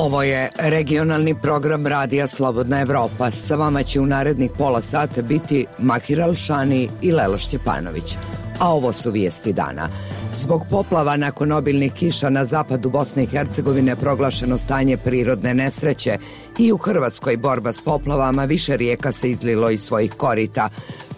Ovo je regionalni program Radija Slobodna Evropa. Sa vama će u narednih pola sata biti Mahir Alšani i Lela Šćepanović. A ovo su vijesti dana. Zbog poplava nakon obilnih kiša na zapadu Bosne i Hercegovine proglašeno stanje prirodne nesreće i u Hrvatskoj borba s poplavama, više rijeka se izlilo iz svojih korita.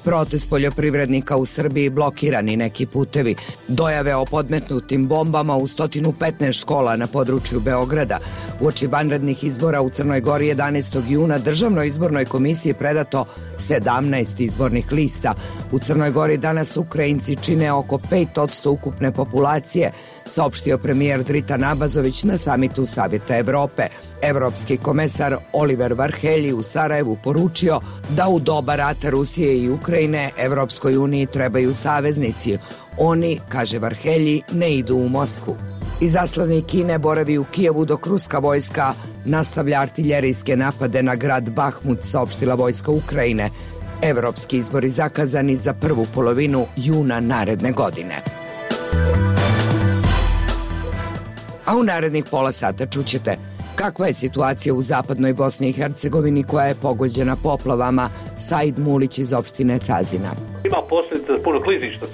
Protest poljoprivrednika u Srbiji, blokirani neki putevi, dojave o podmetnutim bombama u 115 škola na području Beograda. Uoči vanrednih izbora u Crnoj Gori 11. juna Državnoj izbornoj komisiji predato 17 izbornih lista. U Crnoj Gori danas Ukrajinci čine oko 5% ukupne populacije, saopštio premijer Dritan Abazović na samitu Savjeta Evrope. Evropski komesar Oliver Varhelji u Sarajevu poručio da u doba rata Rusije i Ukrajine Evropskoj uniji trebaju saveznici. Oni, kaže Varhelji, ne idu u Moskvu. Izaslanik Kine boravi u Kijevu dok ruska vojska nastavlja artiljerijske napade na grad Bahmut, saopštila vojska Ukrajine. Evropski izbori zakazani za prvu polovinu juna naredne godine. A u narednih pola sata čućete kakva je situacija u zapadnoj Bosni i Hercegovini koja je pogođena poplavama. Said Mulić iz opštine Cazina. Ima posljedica puno klizišta,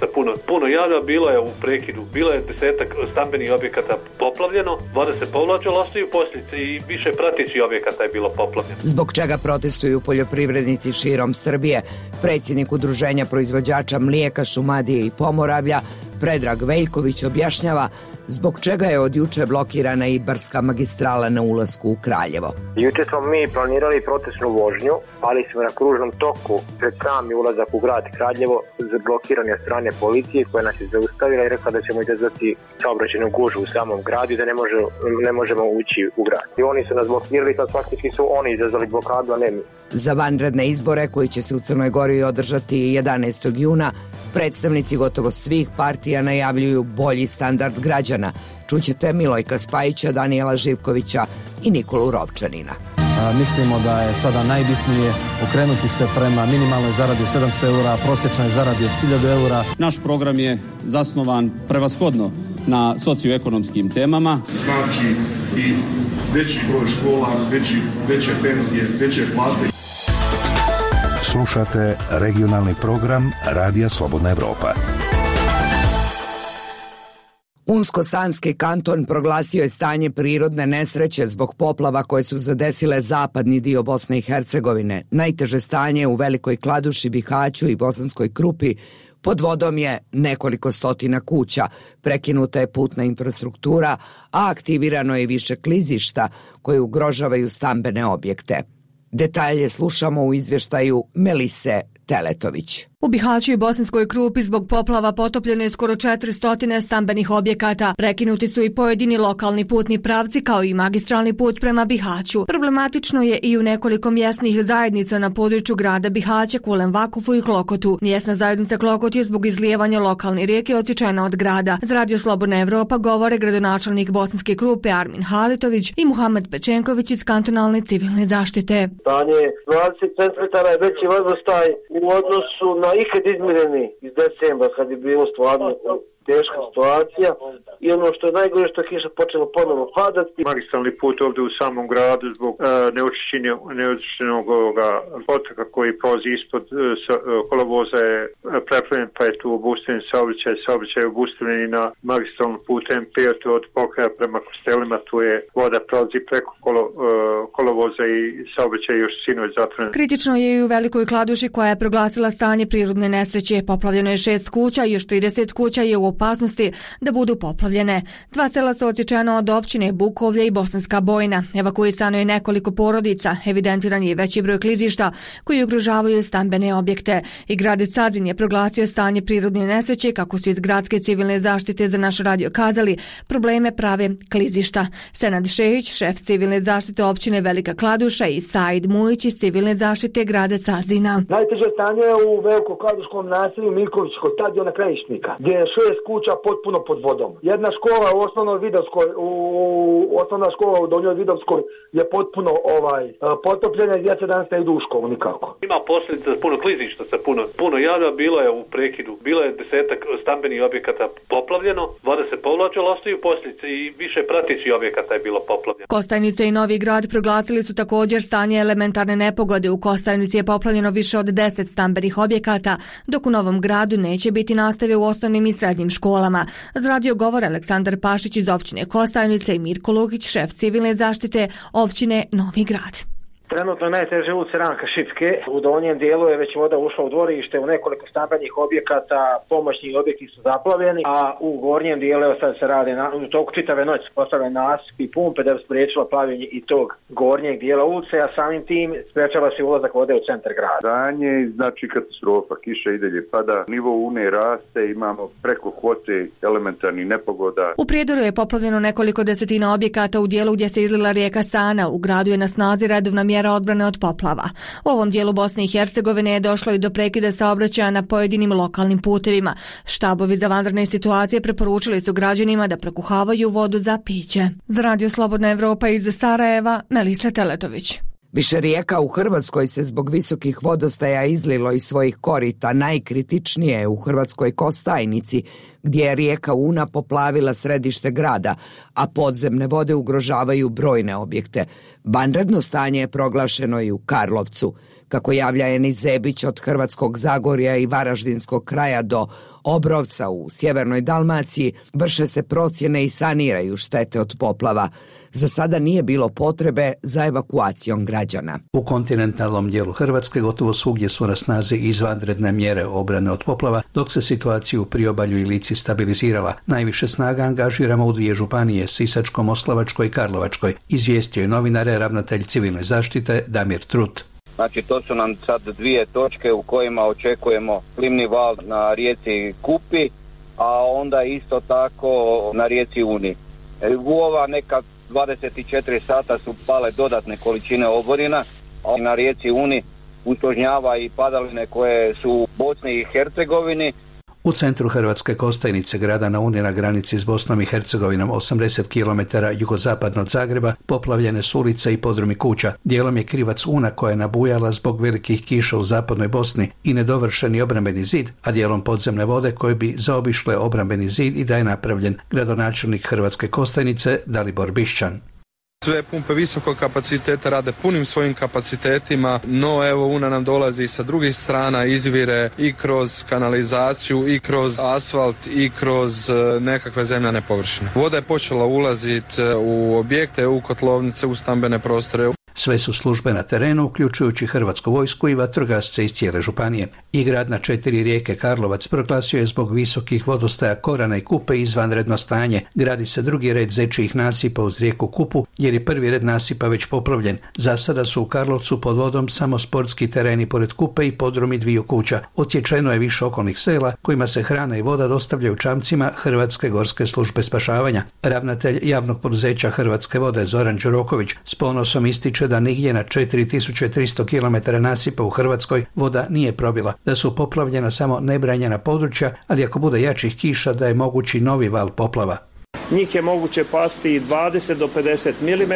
puno jada, bilo je u prekidu, bilo je 10 stambenih objekata poplavljeno, 20 povlačilo, ostaju posljedice i više pratećih objekata je bilo poplavljeno. Zbog čega protestuju poljoprivrednici širom Srbije? Predsjednik Udruženja proizvođača mlijeka, šumadije i Pomoravlja Predrag Veljković objašnjava zbog čega je od juče blokirana i Barska magistrala na ulasku u Kraljevo. Juče smo mi planirali protestnu vožnju, ali smo na kružnom toku pred sami ulazak u grad Kraljevo blokirani od strane policije koja nas je zaustavila i rekla da ćemo izazvati saobraćajnu gužvu u samom gradu i da ne možemo ući u grad. I oni su nas blokirali, kad faktički su oni izazvali blokadu, a ne mi. Za vanredne izbore koji će se u Crnoj Gori održati 11. juna, predstavnici gotovo svih partija najavljuju bolji standard građana. Čućete Milojka Spajića, Danijela Živkovića i Nikolu Rovčanina. Mislimo da je sada najbitnije okrenuti se prema minimalnoj zaradi od 700 eura, prosječnoj zaradi od 1000 eura. Naš program je zasnovan prevashodno na socioekonomskim temama. Znači i veći broj škola, veće penzije, veće plate. Slušate regionalni program Radija Slobodna Evropa. Unsko-Sanski kanton proglasio je stanje prirodne nesreće zbog poplava koje su zadesile zapadni dio Bosne i Hercegovine. Najteže stanje u Velikoj Kladuši, Bihaću i Bosanskoj Krupi. Pod vodom je nekoliko stotina kuća, prekinuta je putna infrastruktura, a aktivirano je više klizišta koje ugrožavaju stambene objekte. Detalje slušamo u izvještaju Melise Teletović. U Bihaću i Bosanskoj Krupi zbog poplava potopljeno je skoro 400 stambenih objekata. Prekinuti su i pojedini lokalni putni pravci kao i magistralni put prema Bihaću. Problematično je i u nekoliko mjesnih zajednica na području grada Bihaća, Kulem Vakufu i Klokotu. Mjesna zajednica Klokot je zbog izlijevanja lokalne rijeke odsječena od grada. Za Radio Slobodna Evropa govore gradonačelnik Bosanske Krupe Armin Halitović i Muhamed Pečenković iz kantonalne civilne zaštite. Stanje 20 cm je veći vodostaj u odnosu na ikad izmjereni iz decembra kad je bilo stvarno teška situacija i ono što je najgore što je kiša počela ponovo padati. Magistralni put ovdje u samom gradu zbog neočišćenog potoka koji prolazi ispod kolovoza je preplavljen, pa je tu obustavljen saobraćaj je obustavljen i na magistralnom putu M5 od Pokraja prema Kostelima, tu je voda prolazi preko kolovoza i saobraćaj još sinoć zatvoren. Kritično je i u Velikoj Kladuši koja je proglasila stanje prirodne nesreće. Poplavljeno je 6 kuća i još 30 kuća je u opasnosti da budu poplavljene. 2 sela su odsječena od općine Bukovlje i Bosanska Bojna. Evakuisano je nekoliko porodica, evidentiran je veći broj klizišta koji ugrožavaju stambene objekte. I grad Cazin je proglasio stanje prirodne nesreće, kako su iz gradske civilne zaštite za naš radio kazali, probleme prave klizišta. Senad Šehić, šef civilne zaštite općine Velika Kladuša i Said Mulić iz civilne zaštite grada Cazina. Najteže stanje je u Velikoj Kladuškom naselju Milković kod Tadijona Krajišnika, gdje je 6 kuća potpuno pod vodom. Jedna škola u osnovnoj Vidovskoj, osnovna škola u Donjoj Vidovskoj je potpuno potopljena i djeca danas ne idu u školu nikako. Ima posljedica puno klizišta sa puno jada, bilo je u prekidu, bilo je 10-ak stambenih objekata poplavljeno, voda se povlačila, ostaju posljedice i više pratećih objekata je bilo poplavljeno. Kostajnica i Novi Grad proglasili su također stanje elementarne nepogode. U Kostajnici je poplavljeno više od 10 stambenih objekata, dok u Novom Gradu neće biti nastave u osnovnim i srednjim školama. Za radio govor Aleksandar Pašić iz općine Kostajnice i Mirko Lukić, šef civilne zaštite općine Novi Grad. Trenutno najteže ulice Ranka Šipke. U donjem dijelu je već voda ušla u dvorište, u nekoliko stambenih objekata, pomoćni objekti su zaplavljeni, a u gornjem dijelu sad se radi u toku čitave noći postavljen nasip i pumpe da bi spriječila plavljenje i tog gornjeg dijela ulice, a samim tim sprečava se ulazak vode u centar grada. Stanje znači katastrofa, kiša i dalje pada, nivo Une raste, imamo preko kvote elementarnih nepogoda. U Prijedoru je poplavljeno nekoliko desetina objekata u dijelu gdje se izlila rijeka Sana. U gradu je na snazi redovna mjera odbrane od poplava. U ovom dijelu Bosne i Hercegovine je došlo i do prekida saobraćaja na pojedinim lokalnim putevima. Štabovi za vanredne situacije preporučili su građanima da prekuhavaju vodu za piće. Za Radio Slobodna Evropa iz Sarajeva, Melisa Teletović. Više rijeka u Hrvatskoj se zbog visokih vodostaja izlilo iz svojih korita. Najkritičnije je u Hrvatskoj Kostajnici, gdje je rijeka Una poplavila središte grada, a podzemne vode ugrožavaju brojne objekte. Vanredno stanje je proglašeno i u Karlovcu. Kako javlja Enis Zebić, od Hrvatskog Zagorja i Varaždinskog kraja do Obrovca u sjevernoj Dalmaciji vrše se procjene i saniraju štete od poplava. Za sada nije bilo potrebe za evakuacijom građana. U kontinentalnom dijelu Hrvatske gotovo svugdje su na snazi izvanredne mjere obrane od poplava, dok se situacija u Priobalju i Lici stabilizirala. Najviše snaga angažiramo u 2 županije, Sisačko-moslavačkoj i Karlovačkoj, izvijestio je novinare ravnatelj civilne zaštite Damir Trut. Znači to su nam sad 2 točke u kojima očekujemo plimni val na rijeci Kupi, a onda isto tako na rijeci Uni. U ova neka 24 sata su pale dodatne količine oborina, a na rijeci Uni usložnjava i padaline koje su u Bosni i Hercegovini. U centru Hrvatske Kostajnice, grada na Uni na granici s Bosnom i Hercegovinom, 80 km jugozapadno od Zagreba, poplavljene su ulice i podrumi kuća. Dijelom je krivac Una koja je nabujala zbog velikih kiša u zapadnoj Bosni i nedovršeni obrambeni zid, a dijelom podzemne vode koje bi zaobišle obrambeni zid i da je napravljen gradonačelnik Hrvatske Kostajnice Dalibor Bišćan. Sve pumpe visokog kapaciteta rade punim svojim kapacitetima, no evo Una nam dolazi sa drugih strana, izvire i kroz kanalizaciju i kroz asfalt i kroz nekakve zemljane površine. Voda je počela ulaziti u objekte, u kotlovnice, u stambene prostore. Sve su službe na terenu, uključujući Hrvatsku vojsku i vatrogasce iz cijele županije. I grad na 4 rijeke Karlovac proglasio je zbog visokih vodostaja Korana i Kupe izvanredno stanje. Gradi se drugi red zečijih nasipa uz rijeku Kupu, jer je prvi red nasipa već poplavljen. Za sada su u Karlovcu pod vodom samo sportski tereni pored Kupe i podrumi 2 kuća. Odsječeno je više okolnih sela kojima se hrana i voda dostavljaju čamcima Hrvatske gorske službe spašavanja. Ravnatelj javnog poduzeća Hrvatske vode Zoran Đuroković s ponosom ističe da nigdje na 4300 km nasipa u Hrvatskoj voda nije probila, da su poplavljena samo nebranjena područja, ali ako bude jačih kiša da je mogući novi val poplava. Njih je moguće pasti 20 do 50 mm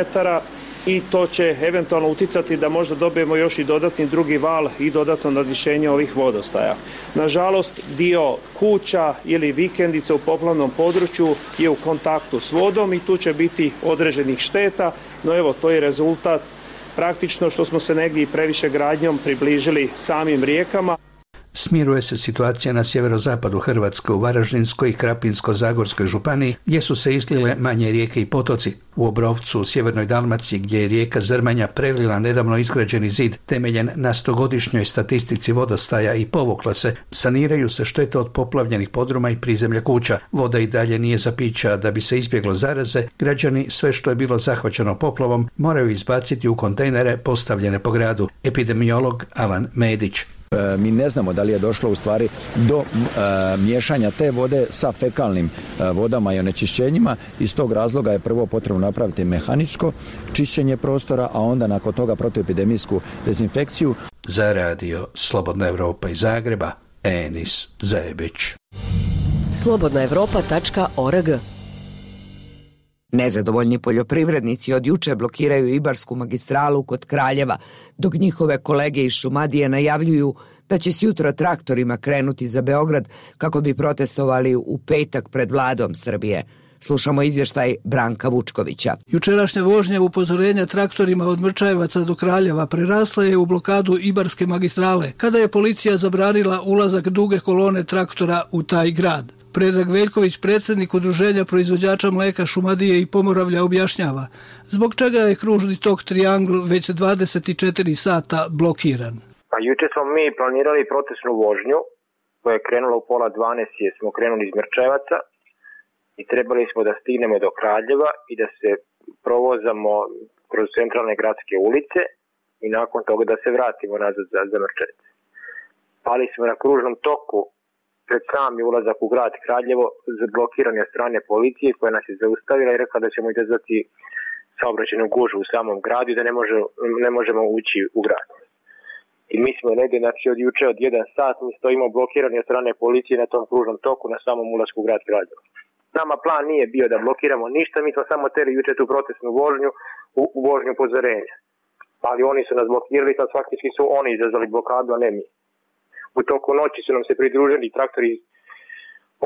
i to će eventualno uticati da možda dobijemo još i dodatni drugi val i dodatno nadvišenje ovih vodostaja. Nažalost, dio kuća ili vikendica u poplavnom području je u kontaktu s vodom i tu će biti određenih šteta, no evo to je rezultat praktično što smo se negdje i previše gradnjom približili samim rijekama. Smiruje se situacija na sjeverozapadu Hrvatske u Varaždinskoj i Krapinsko-zagorskoj županiji, gdje su se izlile manje rijeke i potoci. U Obrovcu, u sjevernoj Dalmaciji, gdje je rijeka Zrmanja prelila nedavno izgrađeni zid temeljen na 100-godišnjoj statistici vodostaja i povukla se, saniraju se štete od poplavljenih podruma i prizemlja kuća. Voda i dalje nije za piće, a da bi se izbjeglo zaraze, građani sve što je bilo zahvaćeno poplavom moraju izbaciti u kontejnere postavljene po gradu. Epidemiolog Alan Medić. Mi ne znamo da li je došlo u stvari do miješanja te vode sa fekalnim vodama i onečišćenjima. Iz tog razloga je prvo potrebno napraviti mehaničko čišćenje prostora, a onda nakon toga protuepidemijsku dezinfekciju. Za radio Slobodna Evropa iz Zagreba, Enis Zebić. slobodnaevropa.org. Nezadovoljni poljoprivrednici od juče blokiraju Ibarsku magistralu kod Kraljeva, dok njihove kolege iz Šumadije najavljuju da će s jutra traktorima krenuti za Beograd kako bi protestovali u petak pred vladom Srbije. Slušamo izvještaj Branka Vučkovića. Jučerašnja vožnja upozorenja traktorima od Mrčajevaca do Kraljeva prerasla je u blokadu Ibarske magistrale, kada je policija zabranila ulazak duge kolone traktora u taj grad. Predrag Veljković, predsjednik Udruženja proizvođača mleka Šumadije i Pomoravlja, objašnjava zbog čega je kružni tok Triangl već 24 sata blokiran. Pa juče smo mi planirali protestnu vožnju koja je krenula u 11:30 jer smo krenuli iz Mrčajevaca i trebali smo da stignemo do Kraljeva i da se provozamo kroz centralne gradske ulice i nakon toga da se vratimo nazad za Mrčajevac. Pali smo na kružnom toku pred sami ulazak u grad Kraljevo, blokirani od strane policije koja nas je zaustavila i rekla da ćemo izazvati saobraćajnu gužvu u samom gradu i da ne možemo ući u grad. I mi smo negdje, znači od juče od 1 sat, mi stojimo blokirani od strane policije na tom kružnom toku na samom ulasku u grad Kraljevo. Nama plan nije bio da blokiramo ništa, mi smo samo teri juče tu protestnu vožnju u vožnju upozorenja. Ali oni su nas blokirali, sad faktički su oni izazvali blokadu, a ne mi. U toku noći su nam se pridružili traktori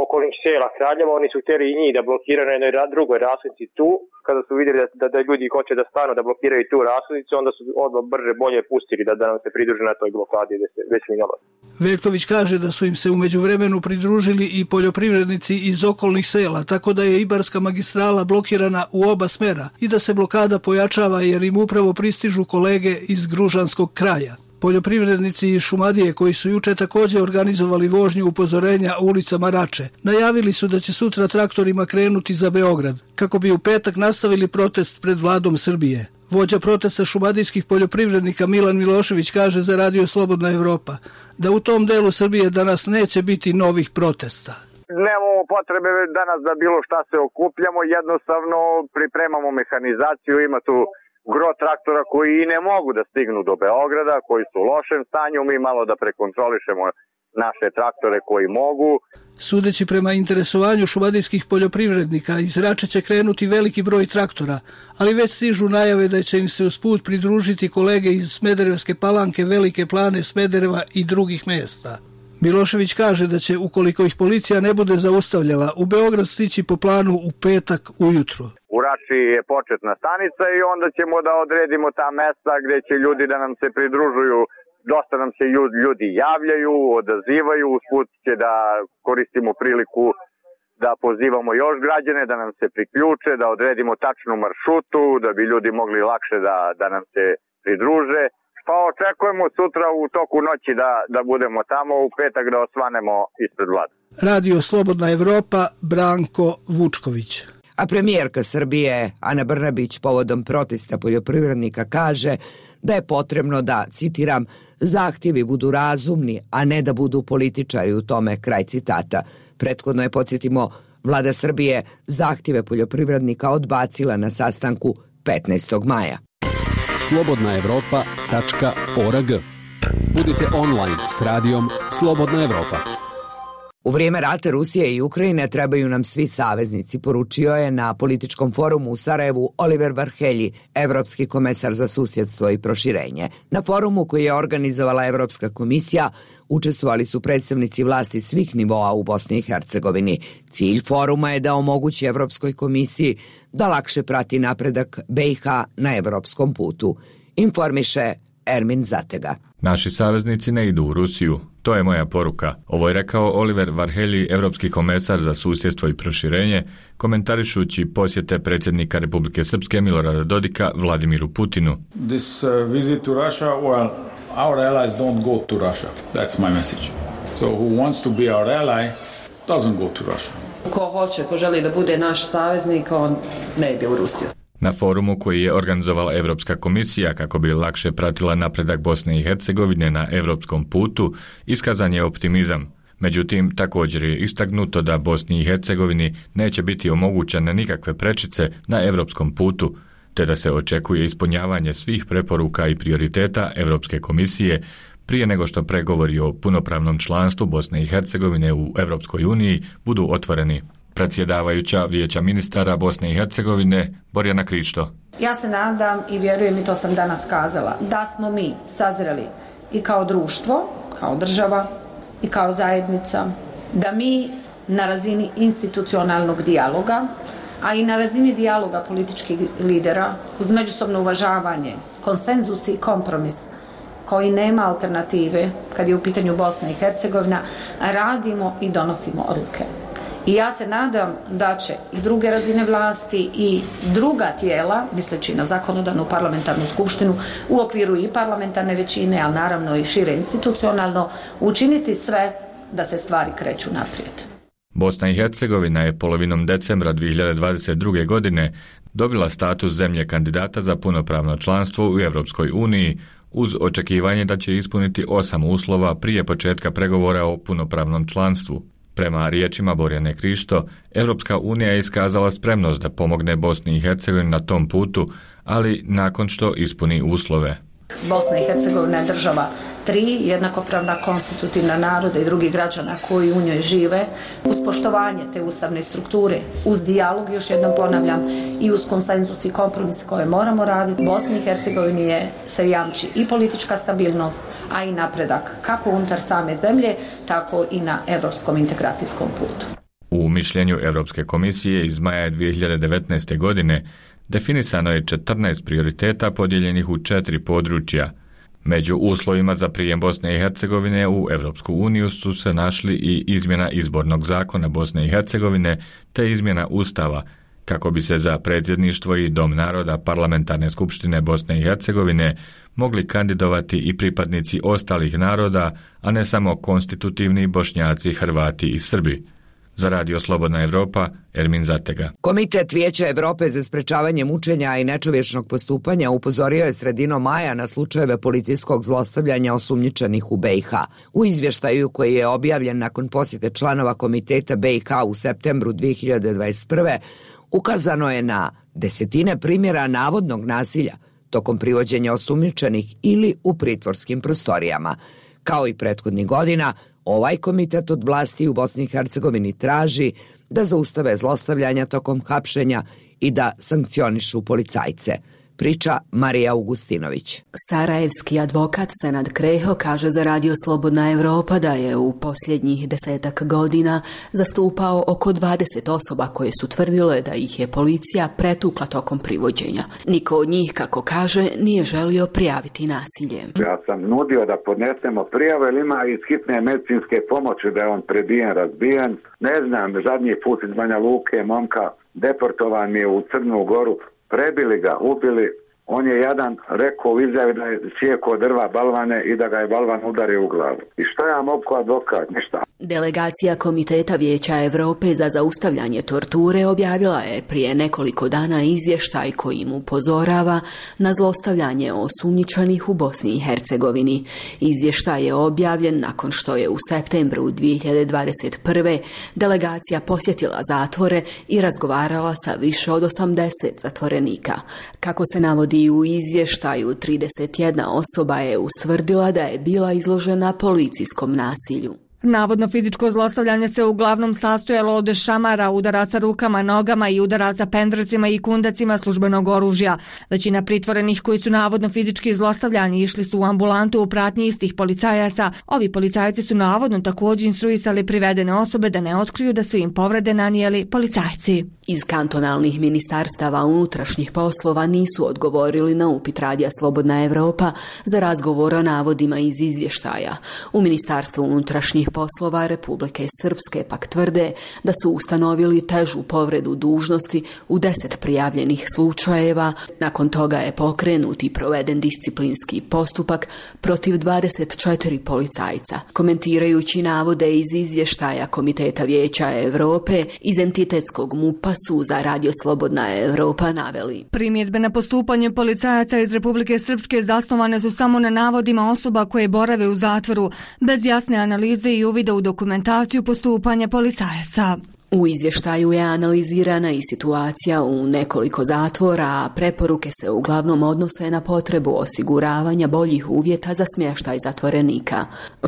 okolnih sela Kraljeva, oni su htjeli i njih da blokiraju na jednoj drugoj rasnici tu. Kada su vidjeli da ljudi hoće da stanu da blokiraju tu rasnicu, onda su odmah brže bolje pustili da nam se pridruže na toj blokadi gdje se već mi nalazi. Veljković kaže da su im se u međuvremenu pridružili i poljoprivrednici iz okolnih sela, tako da je Ibarska magistrala blokirana u oba smera i da se blokada pojačava jer im upravo pristižu kolege iz Gružanskog kraja. Poljoprivrednici iz Šumadije koji su juče također organizovali vožnju upozorenja u ulicama Rače, najavili su da će sutra traktorima krenuti za Beograd, kako bi u petak nastavili protest pred vladom Srbije. Vođa protesta šumadijskih poljoprivrednika Milan Milošević kaže za Radio Slobodna Evropa da u tom delu Srbije danas neće biti novih protesta. Nemamo potrebe danas da bilo šta se okupljamo, jednostavno pripremamo mehanizaciju, ima tu gro traktora koji i ne mogu da stignu do Beograda, koji su u lošem stanju, mi malo da prekontrolišemo naše traktore koji mogu. Sudeći prema interesovanju šumadijskih poljoprivrednika, iz Rače će krenuti veliki broj traktora, ali već stižu najave da će im se usput pridružiti kolege iz Smederevske Palanke, Velike Plane, Smedereva i drugih mjesta. Milošević kaže da će, ukoliko ih policija ne bude zaustavljala, u Beograd stići po planu u petak ujutru. U Rači je početna stanica i onda ćemo da odredimo ta mesta gdje će ljudi da nam se pridružuju. Dosta nam se ljudi javljaju, odazivaju, usput će da koristimo priliku da pozivamo još građane da nam se priključe, da odredimo tačnu maršrutu, da bi ljudi mogli lakše da nam se pridruže. Pa očekujemo sutra u toku noći da budemo tamo, u petak da osvanemo ispred vlade. Radio Slobodna Evropa, Branko Vučković. A premijerka Srbije Ana Brnabić povodom protesta poljoprivrednika kaže da je potrebno da, citiram, zahtjevi budu razumni, a ne da budu političari u tome, kraj citata. Prethodno je, podsjetimo, vlada Srbije zahtjeve poljoprivrednika odbacila na sastanku 15. maja. slobodnaevropa.org. Budite online s radijom Slobodna Evropa. U vrijeme rata Rusije i Ukrajine trebaju nam svi saveznici, poručio je na političkom forumu u Sarajevu Oliver Varhelji, evropski komesar za susjedstvo i proširenje. Na forumu koji je organizovala Evropska komisija učestvovali su predstavnici vlasti svih nivoa u Bosni i Hercegovini. Cilj foruma je da omogući Evropskoj komisiji da lakše prati napredak BiH na evropskom putu. Informiše Ermin Zatega. Naši saveznici ne idu u Rusiju. To je moja poruka. Ovo je rekao Oliver Varhelji, evropski komesar za susjedstvo i proširenje, komentarišući posjete predsjednika Republike Srpske Milorada Dodika Vladimiru Putinu. This visit to Russia, well, our allies don't go to Russia. That's my message. So who wants to be our ally doesn't go to Russia. Ko želi da bude naš saveznik, on ne ide u Rusiju. Na forumu koji je organizovala Evropska komisija kako bi lakše pratila napredak Bosne i Hercegovine na evropskom putu, iskazan je optimizam. Međutim, također je istaknuto da Bosni i Hercegovini neće biti omogućene nikakve prečice na evropskom putu, te da se očekuje ispunjavanje svih preporuka i prioriteta Evropske komisije prije nego što pregovori o punopravnom članstvu Bosne i Hercegovine u Europskoj uniji budu otvoreni. Predsjedavajuća Vijeća ministara Bosne i Hercegovine Borjana Krišto. Ja se nadam i vjerujem, i to sam danas kazala, da smo mi sazreli i kao društvo, kao država i kao zajednica, da mi na razini institucionalnog dijaloga, a i na razini dijaloga političkih lidera, uz međusobno uvažavanje, konsenzus i kompromis koji nema alternative kad je u pitanju Bosna i Hercegovina, radimo i donosimo odluke. I ja se nadam da će i druge razine vlasti i druga tijela, misleći na zakonodavnu parlamentarnu skupštinu, u okviru i parlamentarne većine, ali naravno i šire institucionalno, učiniti sve da se stvari kreću naprijed. Bosna i Hercegovina je polovinom decembra 2022. godine dobila status zemlje kandidata za punopravno članstvo u Europskoj uniji, uz očekivanje da će ispuniti 8 uslova prije početka pregovora o punopravnom članstvu. Prema riječima Borjane Krišto, Europska unija je iskazala spremnost da pomogne Bosni i Hercegovini na tom putu, ali nakon što ispuni uslove. Bosna i Hercegovina je država 3 jednakopravna konstitutivna naroda i drugih građana koji u njoj žive, uz poštovanje te ustavne strukture, uz dijalog, još jednom ponavljam, i uz konsenzus i kompromis koje moramo raditi. Bosni i Hercegovini se jamči i politička stabilnost, a i napredak kako unutar same zemlje, tako i na europskom integracijskom putu. U mišljenju Europske komisije iz maja 2019. godine definisano je 14 prioriteta podijeljenih u 4 područja. Među uslovima za prijem Bosne i Hercegovine u Europsku uniju su se našli i izmjena izbornog zakona Bosne i Hercegovine te izmjena Ustava, kako bi se za predsjedništvo i Dom naroda Parlamentarne skupštine Bosne i Hercegovine mogli kandidovati i pripadnici ostalih naroda, a ne samo konstitutivni Bošnjaci, Hrvati i Srbi. Za Radio Slobodna Evropa, Ermin Zatega. Komitet Vijeća Evrope za sprečavanje mučenja i nečovječnog postupanja upozorio je sredinom maja na slučajeve policijskog zlostavljanja osumnjičenih u BiH. U izvještaju koji je objavljen nakon posjete članova Komiteta BiH u septembru 2021. ukazano je na desetine primjera navodnog nasilja tokom privođenja osumnjičenih ili u pritvorskim prostorijama. Kao i prethodnih godina, ovaj komitet od vlasti u Bosni i Hercegovini traži da zaustave zlostavljanja tokom hapšenja i da sankcionišu policajce. Priča Marija Augustinović. Sarajevski advokat Senad Kreho kaže za Radio Slobodna Evropa da je u posljednjih 10 godina zastupao oko 20 osoba koje su tvrdile da ih je policija pretukla tokom privođenja. Niko od njih, kako kaže, nije želio prijaviti nasilje. Ja sam nudio da podnesemo prijavu, jer ima iz hitne medicinske pomoći da je on prebijen, razbijen. Ne znam, zadnji put iz Banja Luke momka deportovan mi je u Crnu Goru. Prebili ga, ubili, on je jadan rekao u izjavi da je sjekao drva balvane i da ga je balvan udario u glavu. I što ja mogu kao advokat? Ništa. Delegacija Komiteta Vijeća Evrope za zaustavljanje torture objavila je prije nekoliko dana izvještaj kojim upozorava na zlostavljanje osumnjičenih u Bosni i Hercegovini. Izvještaj je objavljen nakon što je u septembru 2021. delegacija posjetila zatvore i razgovarala sa više od 80 zatvorenika. Kako se navodi u izvještaju, 31 osoba je ustvrdila da je bila izložena policijskom nasilju. Navodno fizičko zlostavljanje se uglavnom sastojalo od šamara, udaraca rukama, nogama i udaraca pendrecima i kundacima službenog oružja. Većina pritvorenih koji su navodno fizički zlostavljani išli su u ambulantu u pratnji istih policajaca. Ovi policajci su navodno također instruisali privedene osobe da ne otkriju da su im povrede nanijeli policajci. Iz kantonalnih ministarstava unutrašnjih poslova nisu odgovorili na upit Radija Slobodna Evropa za razgovor o navodima iz izvještaja. U Ministarstvu unutrašnjih poslova Republike Srpske pak tvrde da su ustanovili težu povredu dužnosti u 10 prijavljenih slučajeva. Nakon toga je pokrenut i proveden disciplinski postupak protiv 24 policajca. Komentirajući navode iz izvještaja Komiteta Vijeća Evrope, iz entitetskog MUP-a su za Radio Slobodna Evropa naveli. Primjedbe na postupanje policajaca iz Republike Srpske zasnovane su samo na navodima osoba koje borave u zatvoru, bez jasne analize i uvida u dokumentaciju postupanja policajaca. U izvještaju je analizirana i situacija u nekoliko zatvora, a preporuke se uglavnom odnose na potrebu osiguravanja boljih uvjeta za smještaj zatvorenika.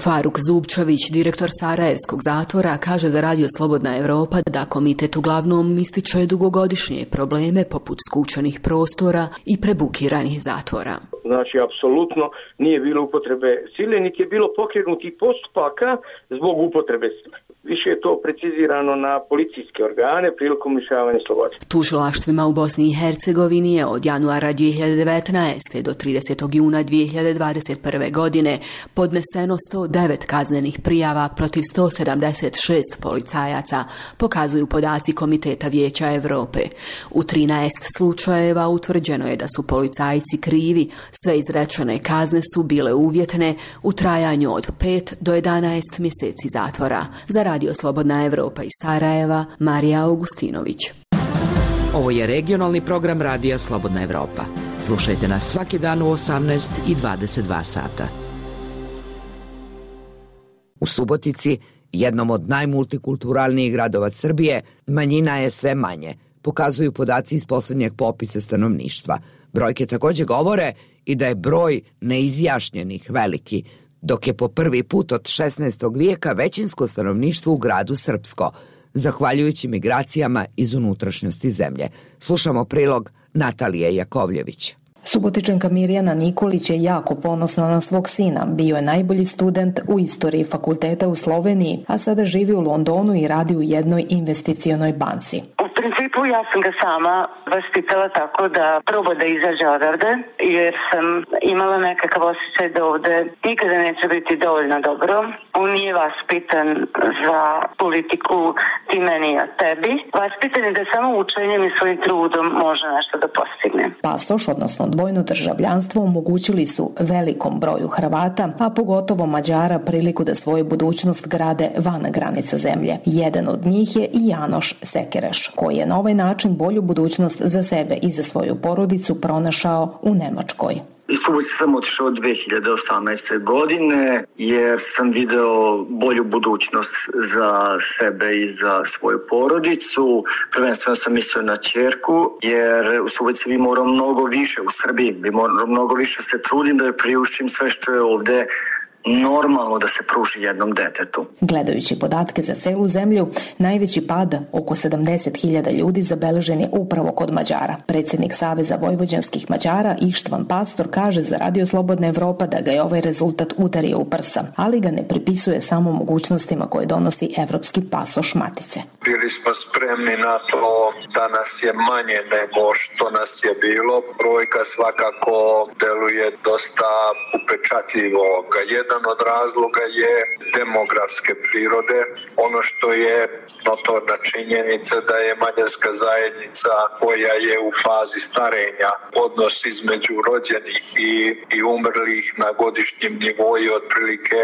Faruk Zubčević, direktor Sarajevskog zatvora, kaže za Radio Slobodna Evropa da komitet uglavnom ističe dugogodišnje probleme poput skučenih prostora i prebukiranih zatvora. Znači, apsolutno nije bilo upotrebe sile, niti je bilo pokrenutih postupaka zbog upotrebe sile. Više je to precizirano na policijske organe prilikom lišavanja slobode. Tužilaštvima u Bosni i Hercegovini je od januara 2019. do 30. juna 2021. godine podneseno 109 kaznenih prijava protiv 176 policajaca, pokazuju podaci Komiteta Vijeća Europe. U 13 slučajeva utvrđeno je da su policajci krivi, sve izrečene kazne su bile uvjetne u trajanju od 5 do 11 mjeseci zatvora. Za Radio Slobodna Evropa iz Sarajeva, Marija Augustinović. Ovo je regionalni program Radija Slobodna Evropa. Slušajte nas svaki dan u 18 i 22 sata. U Subotici, jednom od najmultikulturalnijih gradova Srbije, manjina je sve manje, pokazuju podaci iz posljednjeg popisa stanovništva. Brojke također govore i da je broj neizjašnjenih veliki, dok je po prvi put od 16. vijeka većinsko stanovništvo u gradu srpsko, zahvaljujući migracijama iz unutrašnjosti zemlje. Slušamo prilog Natalije Jakovljević. Subotičanka Mirjana Nikolić je jako ponosna na svog sina. Bio je najbolji student u istoriji fakulteta u Sloveniji, a sada živi u Londonu i radi u jednoj investicionoj banci. U principu ja sam ga sama vaspitala tako da proba da izađe odavde, jer sam imala nekakav osjećaj da ovde nikada neće biti dovoljno dobro. On nije vaspitan za politiku ti meni a tebi. Vaspitan je da samo učenjem i svojim trudom može nešto da postigne. Pasoš, odnosno dvojno državljanstvo, omogućili su velikom broju Hrvata, a pogotovo Mađara, priliku da svoju budućnost grade van granica zemlje. Jedan od njih je i Janoš Sekereš, koji je na ovaj način bolju budućnost za sebe i za svoju porodicu pronašao u Nemačkoj. Iz Subotice sam otišao 2018. godine jer sam video bolju budućnost za sebe i za svoju porodicu. Prvenstveno sam mislio na ćerku jer u Subotici bi morao mnogo više, u Srbiji bi morao mnogo više se trudim da joj priuštim sve što je ovde normalno da se pruži jednom detetu. Gledajući podatke za celu zemlju, najveći pad, oko 70.000 ljudi, zabeležen je upravo kod Mađara. Predsjednik Saveza vojvođanskih Mađara Ištvan Pastor kaže za Radio Slobodna Evropa da ga je ovaj rezultat udario u prsa, ali ga ne pripisuje samo mogućnostima koje donosi evropski pasoš matice. Bili smo spremni na to da nas je manje nego što nas je bilo. Brojka svakako deluje dosta upečatljivo. Jedan od razloga je demografske prirode. Ono što je notorna činjenica da je mađarska zajednica koja je u fazi starenja, odnos između rođenih i umrlih na godišnjem nivou je otprilike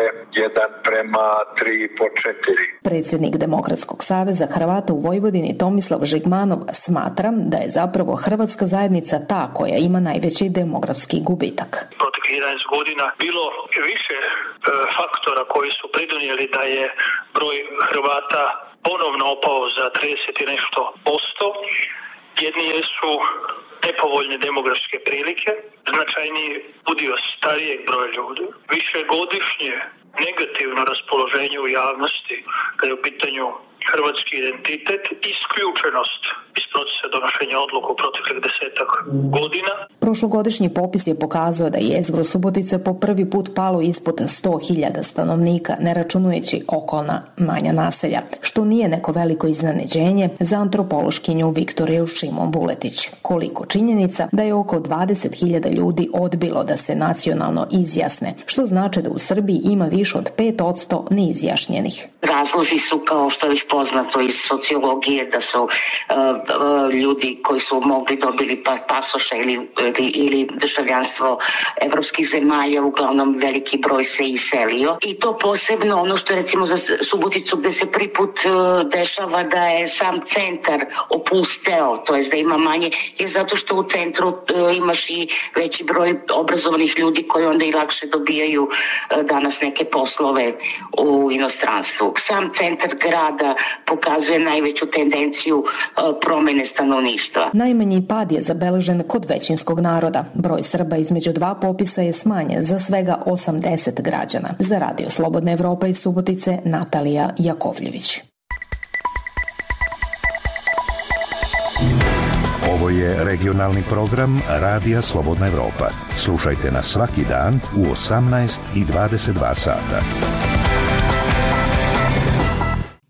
1:3,4. Predsjednik Demokratskog saveza Hrvata u Vojvodini Tomislav Žigmanov smatra da je zapravo hrvatska zajednica ta koja ima najveći demografski gubitak. Proteklih 11 godina bilo više faktora koji su pridonijeli da je broj Hrvata ponovno opao za 30 i nešto posto. Jedni su nepovoljne demografske prilike, značajniji udio starijeg broja ljudi, višegodišnje negativno raspoloženje u javnosti kada je u pitanju hrvatski identitet, isključenost iz procesa donošenja odluka u proteklih 10-ak godina. Prošlogodišnji popis je pokazao da je jezgro Subotice po prvi put palo ispod 100.000 stanovnika, ne računajući okolna manja naselja, što nije neko veliko iznenađenje za antropološkinju Viktoriju Šimon Vuletić. Koliko činjenica da je oko 20.000 ljudi odbilo da se nacionalno izjasne, što znači da u Srbiji ima više od 5% neizjašnjenih. Razlozi su, kao što je već poznato iz sociologije, da su ljudi koji su mogli dobili pasoša ili državljanstvo evropskih zemalja, uglavnom veliki broj se iselio. I to posebno ono što je recimo za Suboticu gde se prvi put dešava da je sam centar opusteo, to jest da ima manje, je zato što u centru imaš i veći broj obrazovanih ljudi koji onda i lakše dobijaju danas neke poslove u inostranstvu. Sam centar grada pokazuje najveću tendenciju promjene stanovništva. Najmanji pad je zabeležen kod većinskog naroda. Broj Srba između dva popisa je smanjen za svega 80 građana. Za Radio Slobodna Evropa iz Subotice, Natalija Jakovljević. Ovo je regionalni program Radija Slobodna Evropa. Slušajte nas svaki dan u 18 i 22 sata.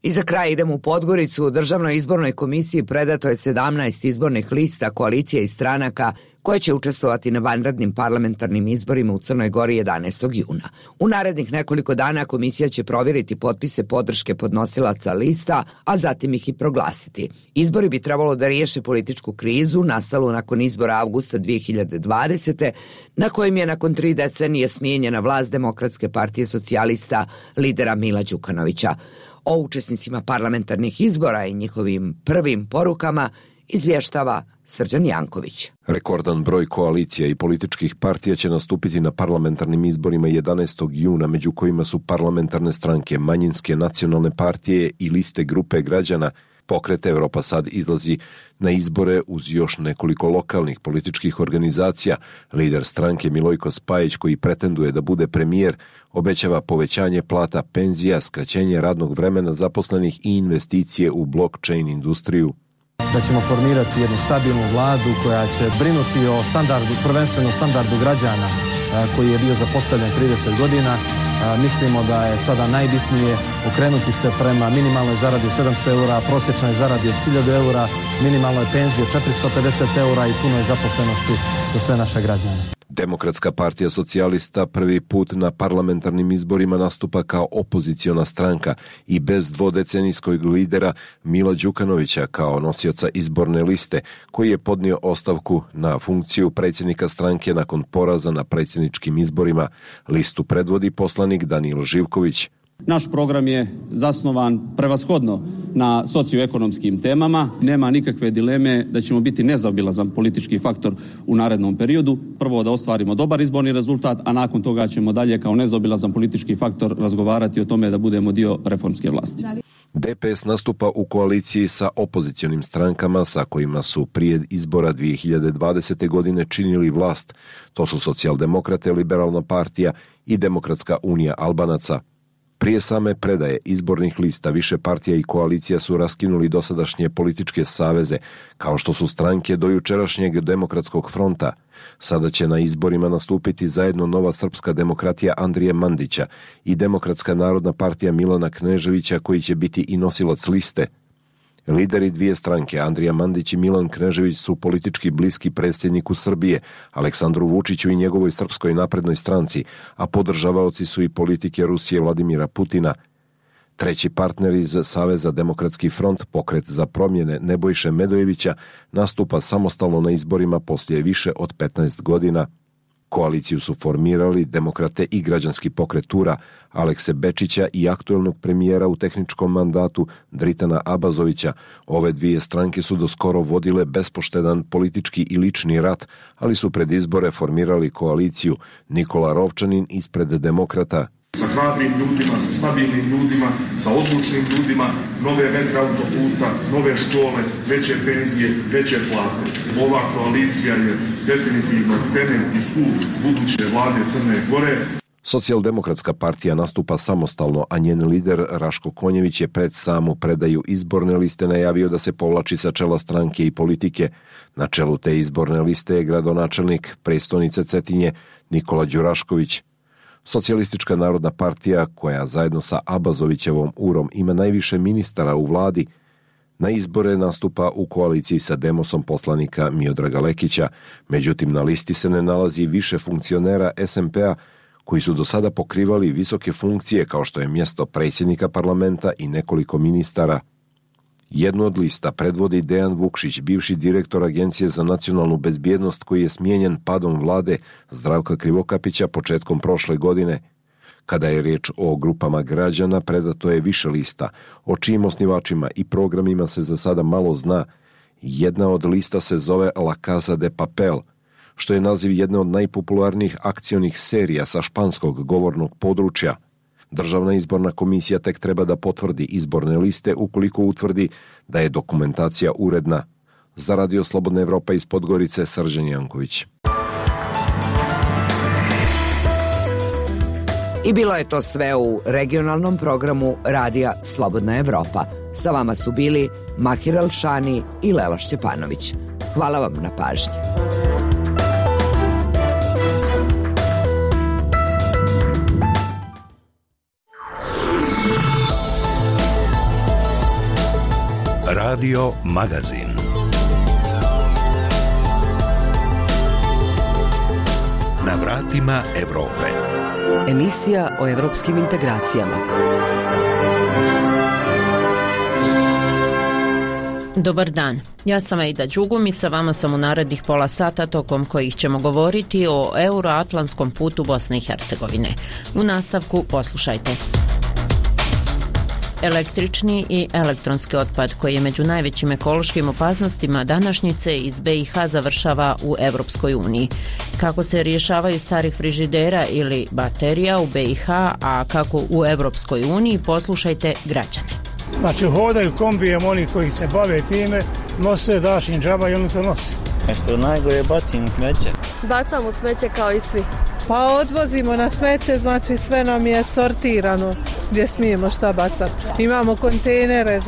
I za kraj idemo u Podgoricu. U Državnoj izbornoj komisiji predato je 17 izbornih lista koalicije i stranaka koje će učestvovati na vanrednim parlamentarnim izborima u Crnoj Gori 11. juna. U narednih nekoliko dana komisija će provjeriti potpise podrške podnosilaca lista, a zatim ih i proglasiti. Izbori bi trebalo da riješe političku krizu nastalu nakon izbora avgusta 2020. na kojim je nakon 3 decenije smijenjena vlast Demokratske partije socijalista lidera Mila Đukanovića. O učesnicima parlamentarnih izbora i njihovim prvim porukama izvještava Srđan Janković. Rekordan broj koalicija i političkih partija će nastupiti na parlamentarnim izborima 11. juna, među kojima su parlamentarne stranke, manjinske nacionalne partije i liste grupe građana. Pokret Evropa sad izlazi na izbore uz još nekoliko lokalnih političkih organizacija. Lider stranke Milojko Spajić, koji pretenduje da bude premijer, obećava povećanje plata, penzija, skraćenje radnog vremena zaposlenih i investicije u blockchain industriju. Da ćemo formirati jednu stabilnu vladu koja će brinuti o standardu, prvenstveno standardu građana koji je bio zapostavljen 30 godina. Mislimo da je sada najbitnije okrenuti se prema minimalnoj zaradi 700 eura, prosječnoj zaradi od 1000 eura, minimalnoj penziji 450 eura i punoj zaposlenosti za sve naše građane. Demokratska partija socijalista prvi put na parlamentarnim izborima nastupa kao opoziciona stranka i bez dvodecenijskog lidera Mila Đukanovića kao nosioca izborne liste, koji je podnio ostavku na funkciju predsjednika stranke nakon poraza na predsjedničkim izborima. Listu predvodi poslanik Danilo Živković. Naš program je zasnovan prevashodno na socioekonomskim temama. Nema nikakve dileme da ćemo biti nezaobilazan politički faktor u narednom periodu. Prvo da ostvarimo dobar izborni rezultat, a nakon toga ćemo dalje kao nezaobilazan politički faktor razgovarati o tome da budemo dio reformske vlasti. DPS nastupa u koaliciji sa opozicionim strankama sa kojima su prije izbora 2020. godine činili vlast. To su Socijaldemokrate, Liberalna partija i Demokratska unija Albanaca. Prije same predaje izbornih lista više partija i koalicija su raskinuli dosadašnje političke saveze, kao što su stranke do jučerašnjeg Demokratskog fronta. Sada će na izborima nastupiti zajedno Nova srpska demokratija Andrije Mandića i Demokratska narodna partija Milana Kneževića, koji će biti i nosilac liste. Lideri dvije stranke, Andrija Mandić i Milan Knežević, su politički bliski predsjedniku Srbije, Aleksandru Vučiću i njegovoj Srpskoj naprednoj stranci, a podržavaoci su i politike Rusije Vladimira Putina. Treći partner iz Saveza Demokratski front, Pokret za promjene Nebojše Medojevića, nastupa samostalno na izborima poslije više od 15 godina. Koaliciju su formirali Demokrate i Građanski pokret Tura, Alekse Bečića i aktuelnog premijera u tehničkom mandatu Dritana Abazovića. Ove dvije stranke su doskoro vodile bespoštedan politički i lični rat, ali su pred izbore formirali koaliciju Nikola Rovčanin ispred Demokrata. Sa hrabrim ljudima, sa stabilnim ljudima, sa odlučnim ljudima, nove metre autoputa, nove škole, veće penzije, veće plate. Ova koalicija je definitivno temelj i stup buduće vlade Crne Gore. Socijaldemokratska partija nastupa samostalno, a njen lider Raško Konjević je pred samu predaju izborne liste najavio da se povlači sa čela stranke i politike. Na čelu te izborne liste je gradonačelnik prestonice Cetinje Nikola Đurašković. Socijalistička narodna partija, koja zajedno sa Abazovićevom Urom ima najviše ministara u vladi, na izbore nastupa u koaliciji sa Demosom poslanika Miodraga Lekića. Međutim, na listi se ne nalazi više funkcionera SMP-a koji su do sada pokrivali visoke funkcije kao što je mjesto predsjednika parlamenta i nekoliko ministara. Jednu od lista predvodi Dejan Vukšić, bivši direktor Agencije za nacionalnu bezbjednost, koji je smijenjen padom vlade Zdravka Krivokapića početkom prošle godine. Kada je riječ o grupama građana, predato je više lista, o čijim osnivačima i programima se za sada malo zna. Jedna od lista se zove La Casa de Papel, što je naziv jedne od najpopularnijih akcionih serija sa španskog govornog područja. Državna izborna komisija tek treba da potvrdi izborne liste ukoliko utvrdi da je dokumentacija uredna. Za Radio Slobodna Evropa iz Podgorice, Srđan Janković. I bilo je to sve u regionalnom programu Radija Slobodna Evropa. Sa vama su bili Mahir Alšani i Lela Šćepanović. Hvala vam na pažnji. Radio Magazin. Na vratima Evrope. Emisija o evropskim integracijama. Dobar dan, ja sam Ejda Đugum i sa vama sam u narednih pola sata tokom kojih ćemo govoriti o euroatlantskom putu Bosne i Hercegovine. U nastavku poslušajte. Električni i elektronski otpad koji je među najvećim ekološkim opasnostima današnjice iz BiH završava u Evropskoj uniji. Kako se rješavaju starih frižidera ili baterija u BiH, a kako u Evropskoj uniji, poslušajte građane. Znači hodaju kombijem oni koji se bave time, nose dašin džaba i oni to nose. Što najgore bacimo smeće. Bacamo smeće kao i svi. Pa odvozimo na smeće, znači sve nam je sortirano gdje smijemo šta bacati. Imamo kontejnere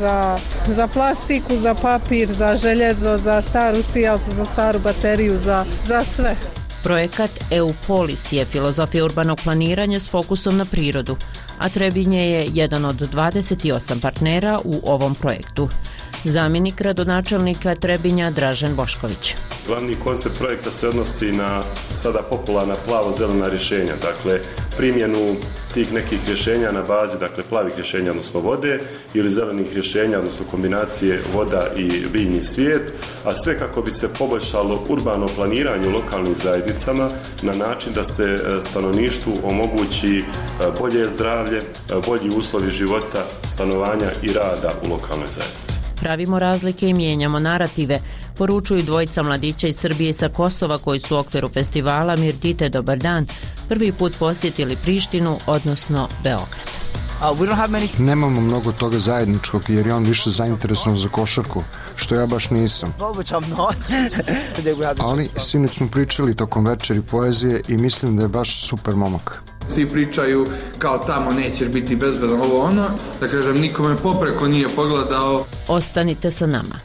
za plastiku, za papir, za željezo, za staru sijalicu, za staru bateriju, za sve. Projekat EU-Polis je filozofija urbanog planiranja s fokusom na prirodu, a Trebinje je jedan od 28 partnera u ovom projektu. Zamjenik gradonačelnika Trebinja Dražen Bošković. Glavni koncept projekta se odnosi na sada popularna plavo-zelena rješenja, dakle primjenu tih nekih rješenja na bazi plavih rješenja, odnosno vode, ili zelenih rješenja, odnosno kombinacije voda i biljni svijet, a sve kako bi se poboljšalo urbano planiranje u lokalnim zajednicama na način da se stanovništvu omogući bolje zdravlje, bolji uslovi života, stanovanja i rada u lokalnoj zajednici. Pravimo razlike i mijenjamo narative, poručuju dvojica mladića iz Srbije i sa Kosova koji su u okviru festivala Mirdite Dobar dan prvi put posjetili Prištinu, odnosno Beograd. Nemamo mnogo toga zajedničkog jer je on više zainteresovan za košarku, što ja baš nisam. Ali sinoć smo pričali tokom večeri poezije i mislim da je baš super momak. Svi pričaju kao tamo nećeš biti bezbedan, ovo ono, da kažem nikome popreko nije pogledao. Ostanite sa nama.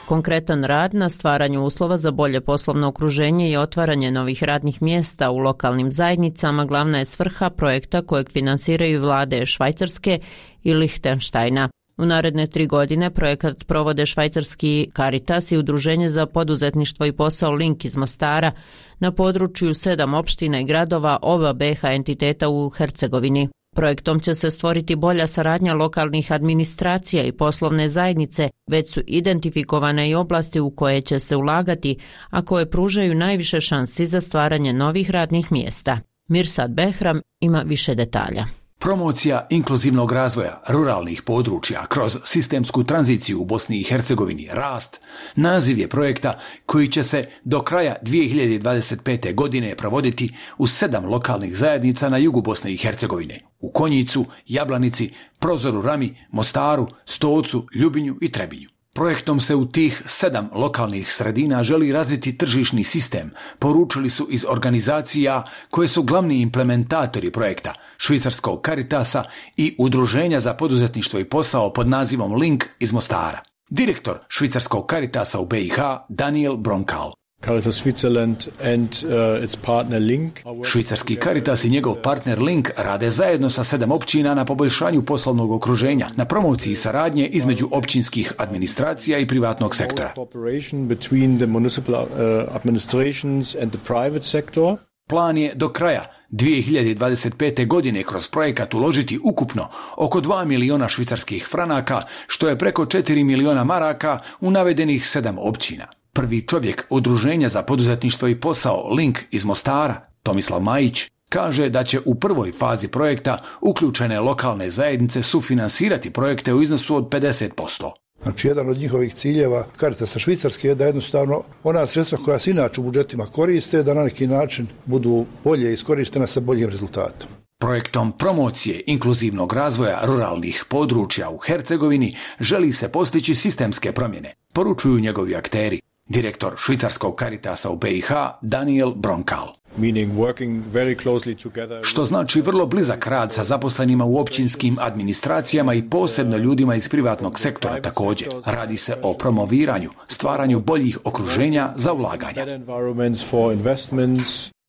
Konkretan rad na stvaranju uslova za bolje poslovno okruženje i otvaranje novih radnih mjesta u lokalnim zajednicama glavna je svrha projekta kojeg finansiraju vlade Švajcarske i Lihtenštajna. U naredne 3 godine projekat provode švajcarski Caritas i Udruženje za poduzetništvo i posao Link iz Mostara na području 7 opština i gradova oba BiH entiteta u Hercegovini. Projektom će se stvoriti bolja saradnja lokalnih administracija i poslovne zajednice, već su identifikovane i oblasti u koje će se ulagati, a koje pružaju najviše šansi za stvaranje novih radnih mjesta. Mirsad Behram ima više detalja. Promocija inkluzivnog razvoja ruralnih područja kroz sistemsku tranziciju u Bosni i Hercegovini, rast, naziv je projekta koji će se do kraja 2025. godine provoditi u 7 lokalnih zajednica na jugu Bosne i Hercegovine, u Konjicu, Jablanici, Prozoru Rami, Mostaru, Stocu, Ljubinju i Trebinju. Projektom se u tih 7 lokalnih sredina želi razviti tržišni sistem, poručili su iz organizacija koje su glavni implementatori projekta, švicarskog Caritasa i Udruženja za poduzetništvo i posao pod nazivom Link iz Mostara. Direktor švicarskog Caritasa u BiH, Daniel Bronkal. Caritas Switzerland and its partner Link. Švicarski Caritas i njegov partner Link rade zajedno sa 7 općina na poboljšanju poslovnog okruženja, na promociji saradnje između općinskih administracija i privatnog sektora. Plan je do kraja 2025. godine kroz projekat uložiti ukupno oko 2 miliona švicarskih franaka, što je preko 4 miliona maraka u navedenih 7 općina. Prvi čovjek Udruženja za poduzetništvo i posao Link iz Mostara, Tomislav Majić, kaže da će u prvoj fazi projekta uključene lokalne zajednice sufinansirati projekte u iznosu od 50%. Znači, jedan od njihovih ciljeva Caritasa Švicarske je da jednostavno ona sredstva koja se inače u budžetima koriste, da na neki način budu bolje iskorištena sa boljim rezultatom. Projektom promocije inkluzivnog razvoja ruralnih područja u Hercegovini želi se postići sistemske promjene, poručuju njegovi akteri. Direktor švicarskog Caritasa u BiH Daniel Bronkal. Što znači vrlo blizak rad sa zaposlenima u općinskim administracijama i posebno ljudima iz privatnog sektora također. Radi se o promoviranju, stvaranju boljih okruženja za ulaganja.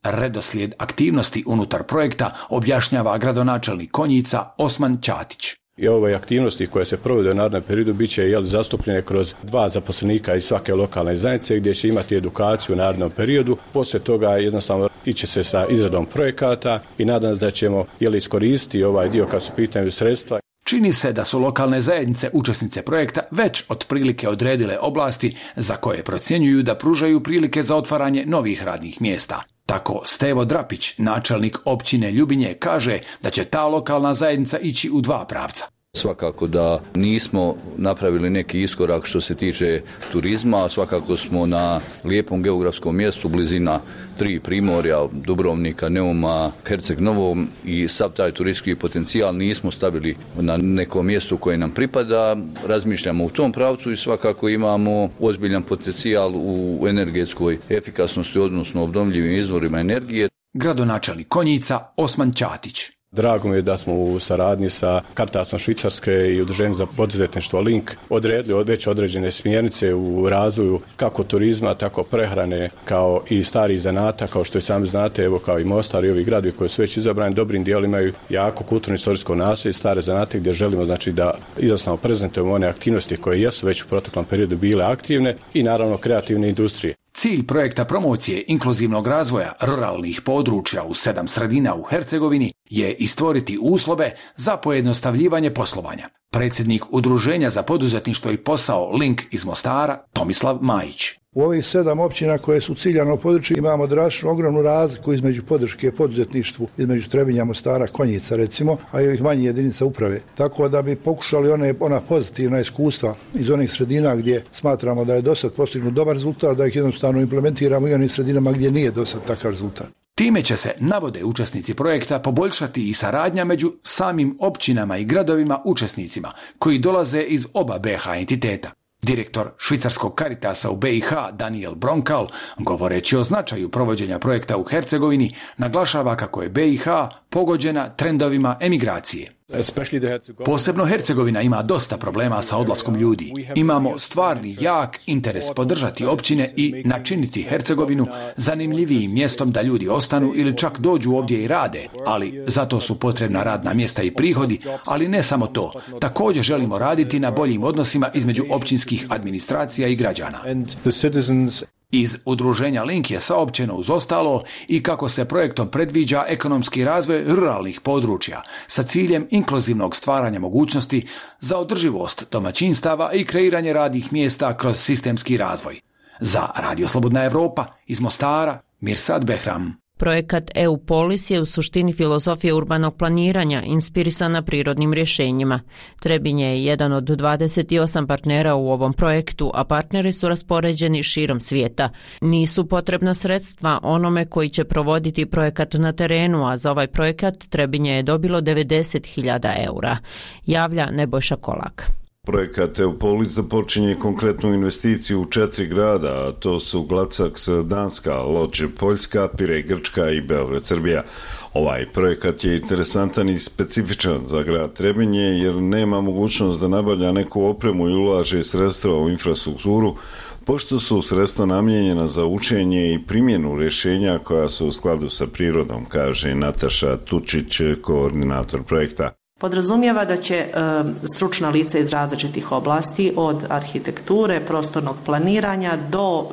Redoslijed aktivnosti unutar projekta objašnjava gradonačelnik Konjica Osman Ćatić. I ove aktivnosti koje se provode u narednom periodu bit će zastupljene kroz 2 zaposlenika iz svake lokalne zajednice gdje će imati edukaciju u narednom periodu. Poslije toga jednostavno iće se sa izradom projekata i nadam se da ćemo iskoristiti ovaj dio kad su pitanju sredstva. Čini se da su lokalne zajednice učesnice projekta već otprilike odredile oblasti za koje procjenjuju da pružaju prilike za otvaranje novih radnih mjesta. Tako Stevo Drapić, načelnik općine Ljubinje, kaže da će ta lokalna zajednica ići u 2 pravca. Svakako da nismo napravili neki iskorak što se tiče turizma, svakako smo na lijepom geografskom mjestu, blizina 3 primorja, Dubrovnika, Neuma, Herceg Novom i sav taj turistički potencijal nismo stavili na neko mjesto koje nam pripada. Razmišljamo u tom pravcu i svakako imamo ozbiljan potencijal u energetskoj efikasnosti, odnosno obnovljivim izvorima energije. Gradonačelnik Konjica Osman Ćatić. Drago mi je da smo u saradnji sa Caritasom Švicarske i Udruženjem za poduzetništvo Link odredili već određene smjernice u razvoju kako turizma, tako prehrane, kao i starih zanata, kao što i sami znate, evo kao i Mostar i ovi gradovi koji su već izabrani dobrim dijelom imaju jako kulturno-istorijsko naselje, stare zanate gdje želimo da jednostavno prezentujemo one aktivnosti koje jesu već u proteklom periodu bile aktivne i naravno kreativne industrije. Cilj projekta promocije inkluzivnog razvoja ruralnih područja u 7 sredina u Hercegovini je i stvoriti uslove za pojednostavljivanje poslovanja. Predsjednik Udruženja za poduzetništvo i posao Link iz Mostara, Tomislav Majić. U ovih 7 općina koje su ciljano područje imamo drastično ogromnu razliku između podrške poduzetništvu, između Trebinja, Mostara, Konjica recimo, a i ovih manjih jedinica uprave. Tako da bi pokušali ona pozitivna iskustva iz onih sredina gdje smatramo da je dosad postignut dobar rezultat, da ih jednostavno implementiramo i onih sredinama gdje nije dosad takav rezultat. Time će se, navode učesnici projekta, poboljšati i saradnja među samim općinama i gradovima učesnicima koji dolaze iz oba BiH entiteta. Direktor švicarskog Caritasa u BiH Daniel Bronkal, govoreći o značaju provođenja projekta u Hercegovini, naglašava kako je BiH pogođena trendovima emigracije. Posebno Hercegovina ima dosta problema sa odlaskom ljudi. Imamo stvarni jak interes podržati općine i načiniti Hercegovinu zanimljivijim mjestom da ljudi ostanu ili čak dođu ovdje i rade, ali zato su potrebna radna mjesta i prihodi, ali ne samo to. Također želimo raditi na boljim odnosima između općinskih administracija i građana. Iz udruženja Link je saopćeno uz ostalo i kako se projektom predviđa ekonomski razvoj ruralnih područja sa ciljem inkluzivnog stvaranja mogućnosti za održivost domaćinstava i kreiranje radnih mjesta kroz sistemski razvoj. Za Radio Slobodna Evropa iz Mostara, Mirsad Behram. Projekat EU Polis je u suštini filozofija urbanog planiranja inspirisana prirodnim rješenjima. Trebinje je jedan od 28 partnera u ovom projektu, a partneri su raspoređeni širom svijeta. Nisu potrebna sredstva onome koji će provoditi projekat na terenu, a za ovaj projekat Trebinje je dobilo 90.000 eura. Javlja Nebojša Kolak. Projekat EUPOLIS započinje konkretnu investiciju u 4 grada, a to su Glacax, Danska, Lodž, Poljska, Pirej, Grčka i Beograd, Srbija. Ovaj projekat je interesantan i specifičan za grad Trebinje jer nema mogućnost da nabavlja neku opremu i ulaže sredstva u infrastrukturu, pošto su sredstva namijenjena za učenje i primjenu rješenja koja su u skladu sa prirodom, kaže Nataša Tučić, koordinator projekta. Podrazumijeva da će stručna lica iz različitih oblasti, od arhitekture, prostornog planiranja do,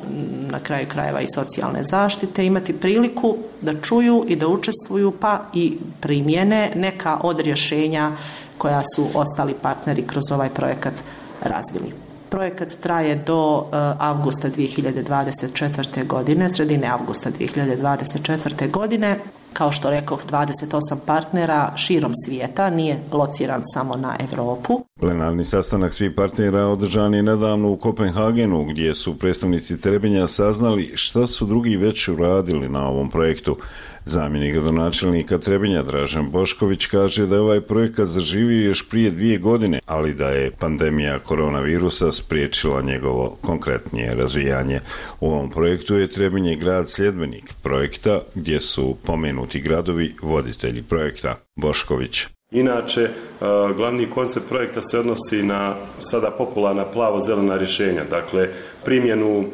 na kraju krajeva, i socijalne zaštite, imati priliku da čuju i da učestvuju pa i primjene neka od rješenja koja su ostali partneri kroz ovaj projekat razvili. Projekat traje do avgusta 2024. godine, sredine avgusta 2024. godine. Kao što rekoh, 28 partnera širom svijeta, nije lociran samo na Europu. Plenarni sastanak svih partnera održan je nedavno u Kopenhagenu, gdje su predstavnici Trebinja saznali šta su drugi već uradili na ovom projektu. Zamjenik gradonačelnika Trebinja Dražen Bošković kaže da je ovaj projekat zaživio još prije 2 godine, ali da je pandemija koronavirusa spriječila njegovo konkretnije razvijanje. U ovom projektu je Trebinje grad sljedbenik projekta, gdje su pomenuti gradovi voditelji projekta. Bošković. Inače, glavni koncept projekta se odnosi na sada popularna plavo-zelena rješenja, dakle primjenu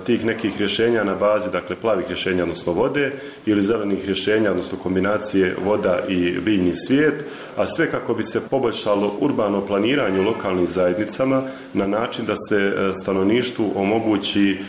tih nekih rješenja na bazi, dakle plavih rješenja, odnosno vode, ili zelenih rješenja, odnosno kombinacije voda i biljni svijet, a sve kako bi se poboljšalo urbano planiranje u lokalnim zajednicama na način da se stanovništvu omogući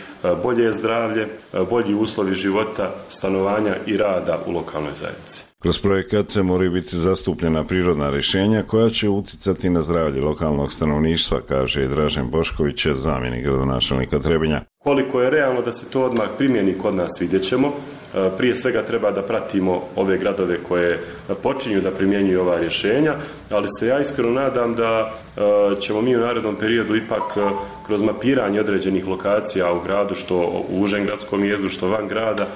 bolje zdravlje, bolji uslovi života, stanovanja i rada u lokalnoj zajednici. Kroz projekat moraju biti zastupljena prirodna rješenja koja će uticati na zdravlje lokalnog stanovništva, kaže Dražen Bošković, zamjenik gradonačelnika Trebinja. Koliko je realno da se to odmah primjeni kod nas, vidjet ćemo. Prije svega treba da pratimo ove gradove koje počinju da primjenjuju ova rješenja, ali se ja iskreno nadam da ćemo mi u narednom periodu ipak kroz mapiranje određenih lokacija u gradu, što u užem gradskom jezgru, što van grada,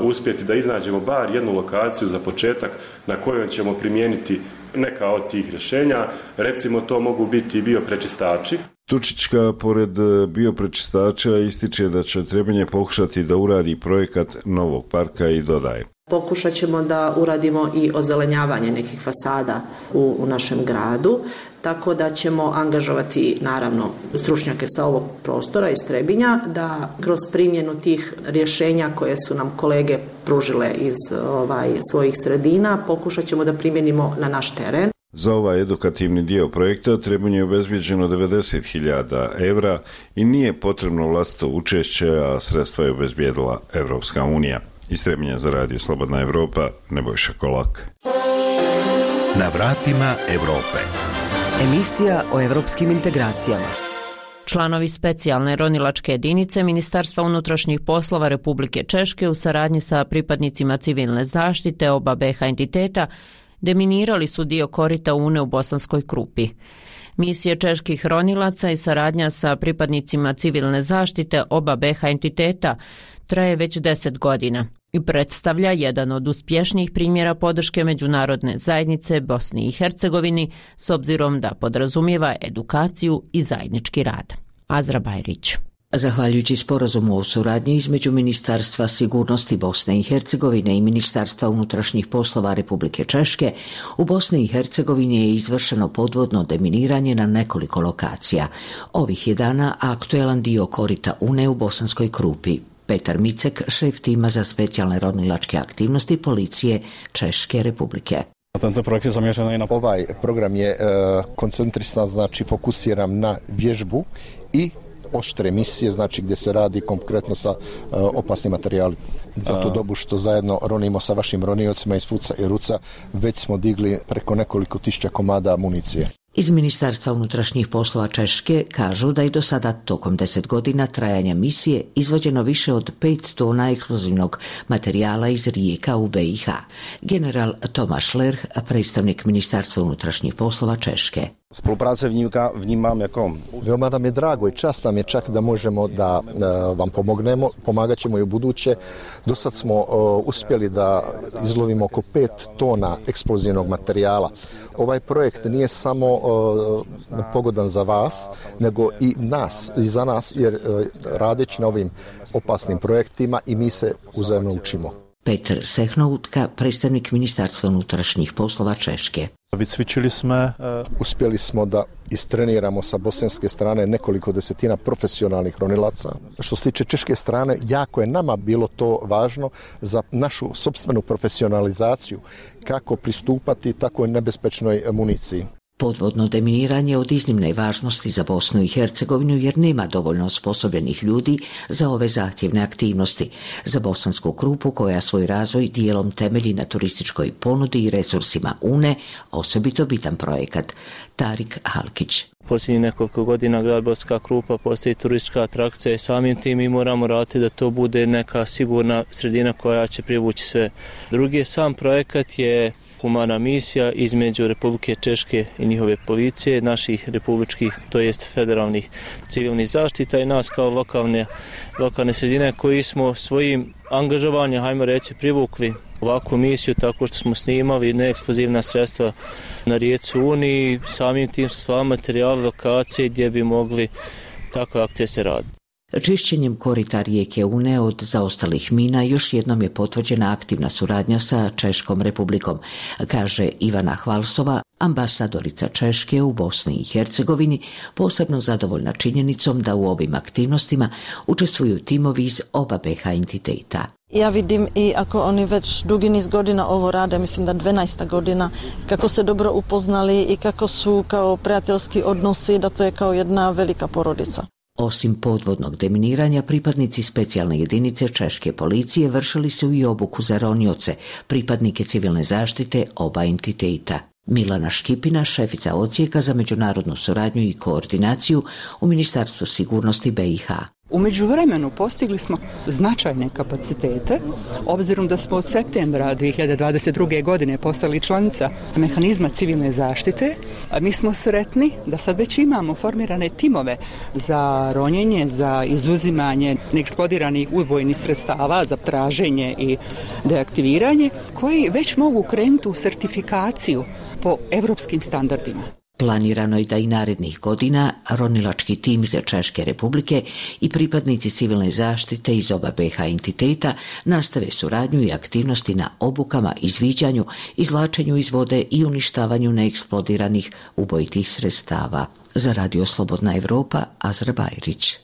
uspjeti da iznađemo bar jednu lokaciju za početak na kojoj ćemo primijeniti neka od tih rješenja. Recimo, to mogu biti bioprečistači. Tučićka, pored bioprečistača, ističe da će Trebinje pokušati da uradi projekat novog parka i dodaje. Pokušat ćemo da uradimo i ozelenjavanje nekih fasada u našem gradu, tako da ćemo angažovati naravno stručnjake sa ovog prostora iz Trebinja da kroz primjenu tih rješenja koje su nam kolege pružile iz svojih sredina pokušat ćemo da primjenimo na naš teren. Za ovaj edukativni dio projekta Trebinju je obezbijeđeno 90.000 evra i nije potrebno vlastito učešće, a sredstva je obezbijedila Evropska unija. Iz Trebinja za Radio Slobodna Evropa, Nebojša Kolak. Na vratima Evrope. Emisija o evropskim integracijama. Članovi specijalne ronilačke jedinice Ministarstva unutrašnjih poslova Republike Češke u saradnji sa pripadnicima civilne zaštite oba BiH entiteta deminirali su dio korita Une u Bosanskoj Krupi. Misije čeških ronilaca i saradnja sa pripadnicima civilne zaštite oba BiH entiteta traje već 10 godina i predstavlja jedan od uspješnijih primjera podrške međunarodne zajednice Bosni i Hercegovini s obzirom da podrazumijeva edukaciju i zajednički rad. Azra Bajrić. Zahvaljujući sporazumu o suradnji između Ministarstva sigurnosti Bosne i Hercegovine i Ministarstva unutrašnjih poslova Republike Češke, u Bosni i Hercegovini je izvršeno podvodno deminiranje na nekoliko lokacija. Ovih je dana aktuelan dio korita Une u Bosanskoj Krupi. Petar Micek, šef tima za specijalne ronilačke aktivnosti policije Češke Republike. Ovaj program je koncentrisan, znači fokusiran na vježbu i oštre misije, znači gdje se radi konkretno sa opasnim materijalima. Za tu dobu što zajedno ronimo sa vašim roniocima iz Fuca i Ruca, već smo digli preko nekoliko tisuća komada municije. Iz Ministarstva unutrašnjih poslova Češke kažu da je do sada tokom 10 godina trajanja misije izvođeno više od 5 tona eksplozivnog materijala iz rijeka u BiH. General Tomáš Lerch, predstavnik Ministarstva unutrašnjih poslova Češke. Spolupráce vnímám jako... Veoma nam je drago i čast nam je čak da možemo da vam pomognemo, pomagat ćemo i u buduće. Do sad smo uspjeli da izlovimo oko 5 tona eksplozivnog materijala. Ovaj projekt nije samo pogodan za vas, nego i nas, i za nas, jer radeći na ovim opasnim projektima i mi se uzajemno učimo. Petr Sehnovka, predstavnik Ministarstva unutrašnjih poslova Češke. Uspjeli smo da istreniramo sa bosanske strane nekoliko desetina profesionalnih ronilaca. Što se tiče češke strane, jako je nama bilo to važno za našu sopstvenu profesionalizaciju, kako pristupati takoj nebezpečnoj municiji. Podvodno deminiranje od iznimne važnosti za Bosnu i Hercegovinu jer nema dovoljno osposobljenih ljudi za ove zahtjevne aktivnosti. Za Bosansku Krupu koja svoj razvoj dijelom temelji na turističkoj ponudi i resursima Une, osobito bitan projekat. Tarik Halkić. Posljednjih nekoliko godina grad Bosanska Krupa postoji turistička atrakcija i samim tim mi moramo raditi da to bude neka sigurna sredina koja će privući sve druge. Sam projekat je humana misija između Republike Češke i njihove policije, naših republičkih, to jest federalnih civilnih zaštita i nas kao lokalne sredine koji smo svojim angažovanjem, hajmo reći, privukli ovakvu misiju tako što smo snimali neeksplozivna sredstva na rijeci Uni, samim tim su slali materijali lokacije gdje bi mogli takve akcije se raditi. Čišćenjem korita rijeke Une od zaostalih mina još jednom je potvrđena aktivna suradnja sa Češkom republikom, kaže Ivana Hvalsova, ambasadorica Češke u Bosni i Hercegovini, posebno zadovoljna činjenicom da u ovim aktivnostima učestvuju timovi iz oba BiH entiteta. Ja vidim i ako oni već dugi niz godina ovo rade, mislim da 12. godina, kako se dobro upoznali i kako su kao prijateljski odnosi, da to je kao jedna velika porodica. Osim podvodnog deminiranja, pripadnici specijalne jedinice Češke policije vršili su i obuku za ronioce, pripadnike civilne zaštite oba entiteta. Milana Škipina, šefica odsjeka za međunarodnu suradnju i koordinaciju u Ministarstvu sigurnosti BiH. U međuvremenu postigli smo značajne kapacitete, obzirom da smo od septembra 2022. godine postali članica mehanizma civilne zaštite. Mi smo sretni da sad već imamo formirane timove za ronjenje, za izuzimanje neeksplodiranih ubojnih sredstava, za traženje i deaktiviranje, koji već mogu krenuti u sertifikaciju po evropskim standardima. Planirano je da i narednih godina ronilački tim iz Češke republike i pripadnici civilne zaštite iz oba BiH entiteta nastave suradnju i aktivnosti na obukama, izviđanju, izvlačenju iz vode i uništavanju neeksplodiranih ubojitih sredstava. Za Radio Slobodna Evropa, Azra Bajrić.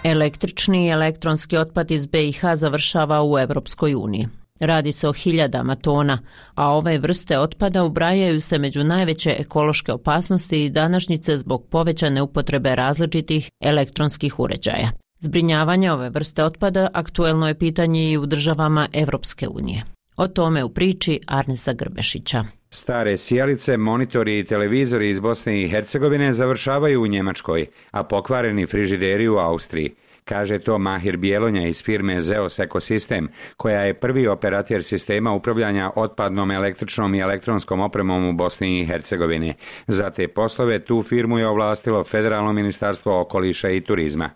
Električni i elektronski otpad iz BiH završava u Evropskoj uniji. Radi se o hiljadama tona, a ove vrste otpada ubrajaju se među najveće ekološke opasnosti i današnjice zbog povećane upotrebe različitih elektronskih uređaja. Zbrinjavanje ove vrste otpada aktuelno je pitanje i u državama Evropske unije. O tome u priči Arnesa Grbešića. Stare sijalice, monitori i televizori iz Bosne i Hercegovine završavaju u Njemačkoj, a pokvareni frižideri u Austriji. Kaže to Mahir Bjelonja iz firme Zeos Ekosistem, koja je prvi operater sistema upravljanja otpadnom električnom i elektronskom opremom u Bosni i Hercegovini. Za te poslove tu firmu je ovlastilo Federalno ministarstvo okoliša i turizma.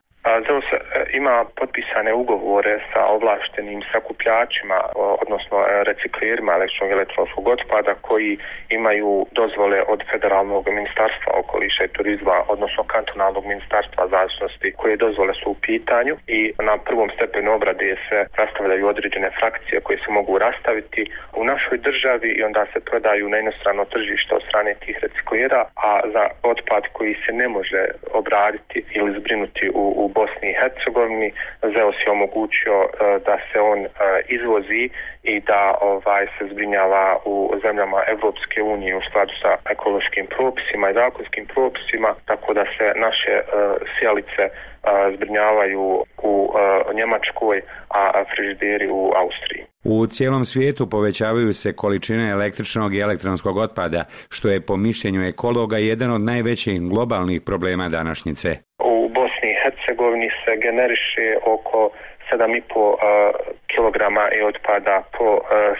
Zeus ima potpisane ugovore sa ovlaštenim sakupljačima, odnosno reciklerima električnog i elektronskog otpada koji imaju dozvole od Federalnog ministarstva okoliša i turizma, odnosno kantonalnog ministarstva zaštitnosti, koje dozvole su u pitanju i na prvom stepenu obrade se rastavljaju određene frakcije koje se mogu rastaviti u našoj državi i onda se prodaju na inostrano tržište od strane tih reciklera, a za otpad koji se ne može obraditi ili zbrinuti u Bosni i Hercegovini, Zeos je omogućio da se on izvozi i da se zbrinjava u zemljama Evropske unije u skladu sa ekološkim propisima i zakonskim propisima, tako da se naše sijalice zbrinjavaju u Njemačkoj, a frižideri u Austriji. U cijelom svijetu povećavaju se količine električnog i elektronskog otpada, što je po mišljenju ekologa jedan od najvećih globalnih problema današnjice. U Bosni i Hercegovini se generiše oko 7,5 kilograma otpada po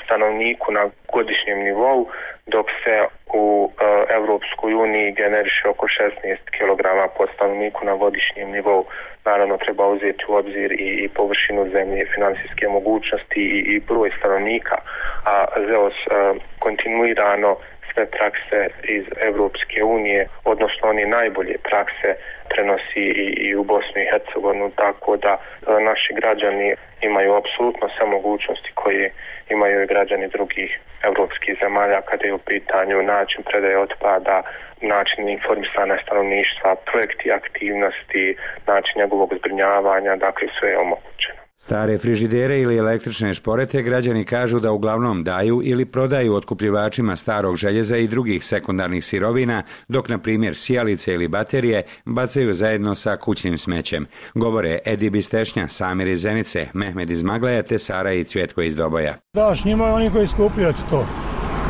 stanovniku na godišnjem nivou, dok se u Evropskoj uniji generiše oko 16 kilograma po stanovniku na godišnjem nivou. Naravno treba uzeti u obzir i površinu zemlje, financijske mogućnosti i broj stanovnika, a Zeos kontinuirano sve prakse iz Evropske unije, odnosno one najbolje prakse, prenosi i u Bosnu i Hercegovinu, tako da naši građani imaju apsolutno sve mogućnosti koje imaju i građani drugih evropskih zemalja kada je u pitanju način predaje otpada, način informisanja stanovništva, projekti aktivnosti, način njegovog zbrinjavanja, dakle sve je omogućeno. Stare frižidere ili električne šporete građani kažu da uglavnom daju ili prodaju otkupljivačima starog željeza i drugih sekundarnih sirovina, dok na primjer sijalice ili baterije bacaju zajedno sa kućnim smećem. Govore Edi Bistešnja, Samir iz Zenice, Mehmed iz Maglaja te Sara i Cvjetko iz Doboja. Daš njima oni koji skupljaju to.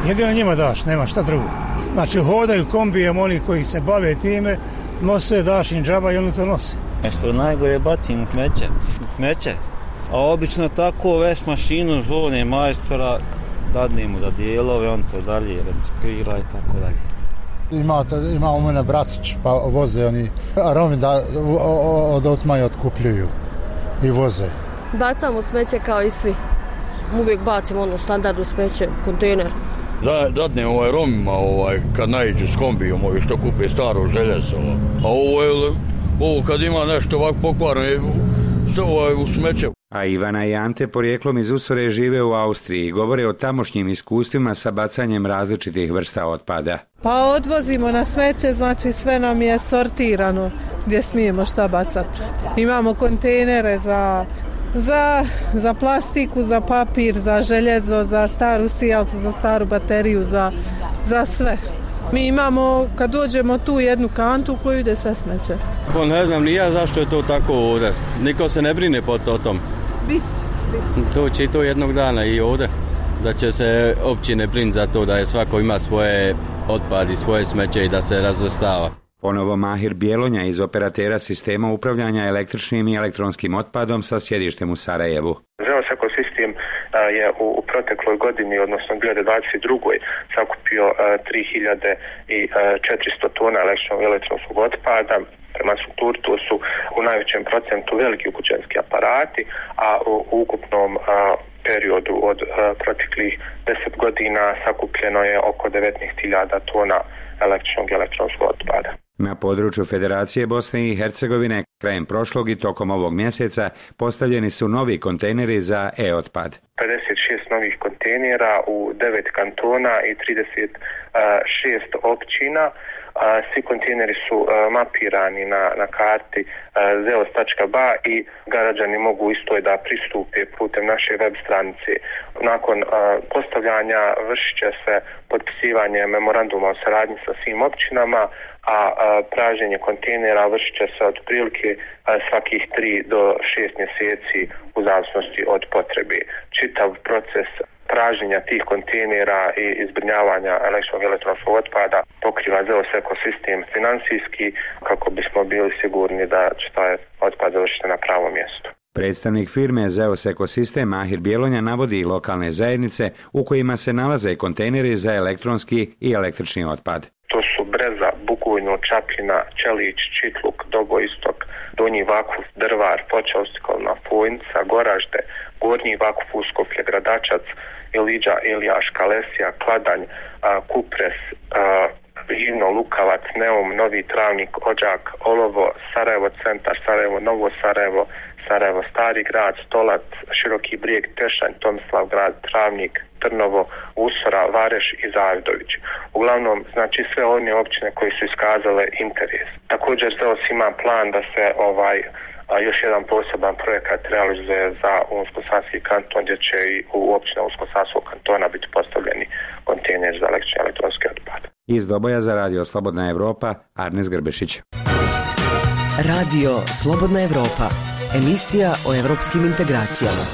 Jedino njima daš, nema šta drugo. Znači hodaju kombijem oni koji se bave time, nose, daš im džaba i oni to nose. Nešto najgore bacim u smeće. A obično tako već mašinu zovne majstora, dadnemo za dijelove, on to dalje reciklira i tako dalje. Ima u mene bracić, pa voze oni Romi da od otmaja otkupljuju i voze. Bacamo smeće kao i svi. Uvijek bacimo standardno smeće, kontejner. Dadne Romima kad naiđe s kombijom što kupe staro željezo. A ovo kad ima nešto ovako pokvarno u smeće. A Ivana i Ante porijeklom iz Usore žive u Austriji i govore o tamošnjim iskustvima sa bacanjem različitih vrsta otpada. Pa odvozimo na smeće, znači sve nam je sortirano gdje smijemo šta bacati. Imamo kontejnere za plastiku, za papir, za željezo, za staru sijalcu, za staru bateriju, za sve. Mi imamo, kad dođemo tu, jednu kantu u koju ide sve smeće. Pa ne znam ni ja zašto je to tako ovdje. Niko se ne brine po tom. Bić. To će i to jednog dana i ovdje. Da će se općine briniti za to da je svako ima svoje otpad i svoje smeće i da se razvrstava. Ponovo Mahir Bjelonja iz operatera sistema upravljanja električnim i elektronskim otpadom sa sjedištem u Sarajevu. ZEOS ekosistem je u protekloj godini, odnosno 2022. sakupio 3400 tona električnog i elektronskog otpada. Prema strukturi to su u najvećem procentu veliki kućanski aparati, a u ukupnom periodu od proteklih 10 godina sakupljeno je oko 19.000 tona električnog i elektronskog otpada. Na području Federacije Bosne i Hercegovine krajem prošlog i tokom ovog mjeseca postavljeni su novi kontejneri za e-otpad. 56 novih kontejnera u 9 kantona i 36 općina. Svi kontejneri su mapirani na karti zeos.ba i građani mogu isto da pristupe putem naše web stranice. Nakon postavljanja vršit će se potpisivanje memoranduma o saradnji sa svim općinama, a praženje kontejnera vršit će se otprilike svakih 3 do 6 mjeseci u zavisnosti od potrebe. Čitav proces praženja tih kontejnera i zbrinjavanja električnog i elektronskog otpada pokriva ZEOS ekosistem finansijski kako bismo bili sigurni da će taj otpad završiti na pravom mjestu. Predstavnik firme ZEOS ekosistem Mahir Bjelonja navodi i lokalne zajednice u kojima se nalaze kontejneri za elektronski i električni otpad. To su Breza, Bugojno, Čapljina, Čelić, Čitluk, Dogoistok, Donji Vakuf, Drvar, Foča, Ostikolna, Fojnica, Goražde, Gornji Vakuf, Uskoplje, Gradačac, Iliđa, Iljaš, Kalesija, Kladanj, Kupres, Živno, Lukavac, Neum, Novi Travnik, Ođak, Olovo, Sarajevo centar, Sarajevo, Novo Sarajevo, Sarajevo Stari grad, Stolac, Široki brijeg, Tešanj, Tomislav grad, Travnik, Trnovo, Usora, Vareš i Zavidović. Uglavnom, znači sve one općine koje su iskazale interes. Također ZEOS ima plan da se još jedan poseban projekat realizuje za Unsko-Sanski kanton, gdje će i u općine Unsko-Sanskog kantona biti postavljeni kontejneri za električni i elektronski otpad. Iz Doboja za Radio Slobodna Evropa, Arnes Grbešić. Radio Slobodna Evropa, emisija o evropskim integracijama.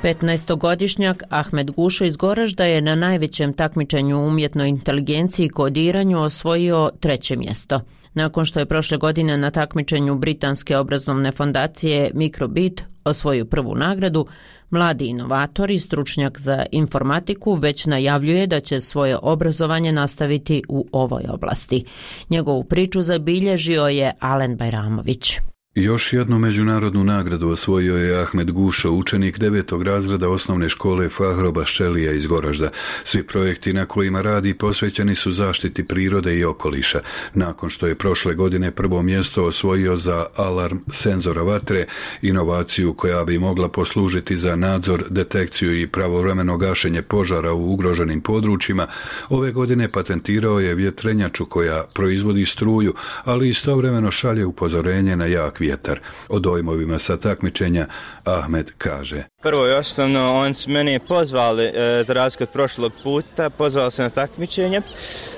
15-godišnjak Ahmed Gušo iz Goražda je na najvećem takmičenju u umjetnoj inteligenciji i kodiranju osvojio 3. mjesto. Nakon što je prošle godine na takmičenju britanske obrazovne fondacije Microbit osvojio prvu nagradu, mladi inovator i stručnjak za informatiku već najavljuje da će svoje obrazovanje nastaviti u ovoj oblasti. Njegovu priču zabilježio je Alen Bajramović. Još jednu međunarodnu nagradu osvojio je Ahmed Gušo, učenik 9. razreda osnovne škole Fahroba Šelija iz Goražda. Svi projekti na kojima radi posvećeni su zaštiti prirode i okoliša. Nakon što je prošle godine prvo mjesto osvojio za alarm senzora vatre, inovaciju koja bi mogla poslužiti za nadzor, detekciju i pravovremeno gašenje požara u ugroženim područjima, ove godine patentirao je vjetrenjaču koja proizvodi struju, ali istovremeno šalje upozorenje na jak vjetar. O dojmovima sa takmičenja Ahmed kaže: Prvo i osnovno, oni su mene pozvali, za razliku od prošlog puta, pozvali se na takmičenje.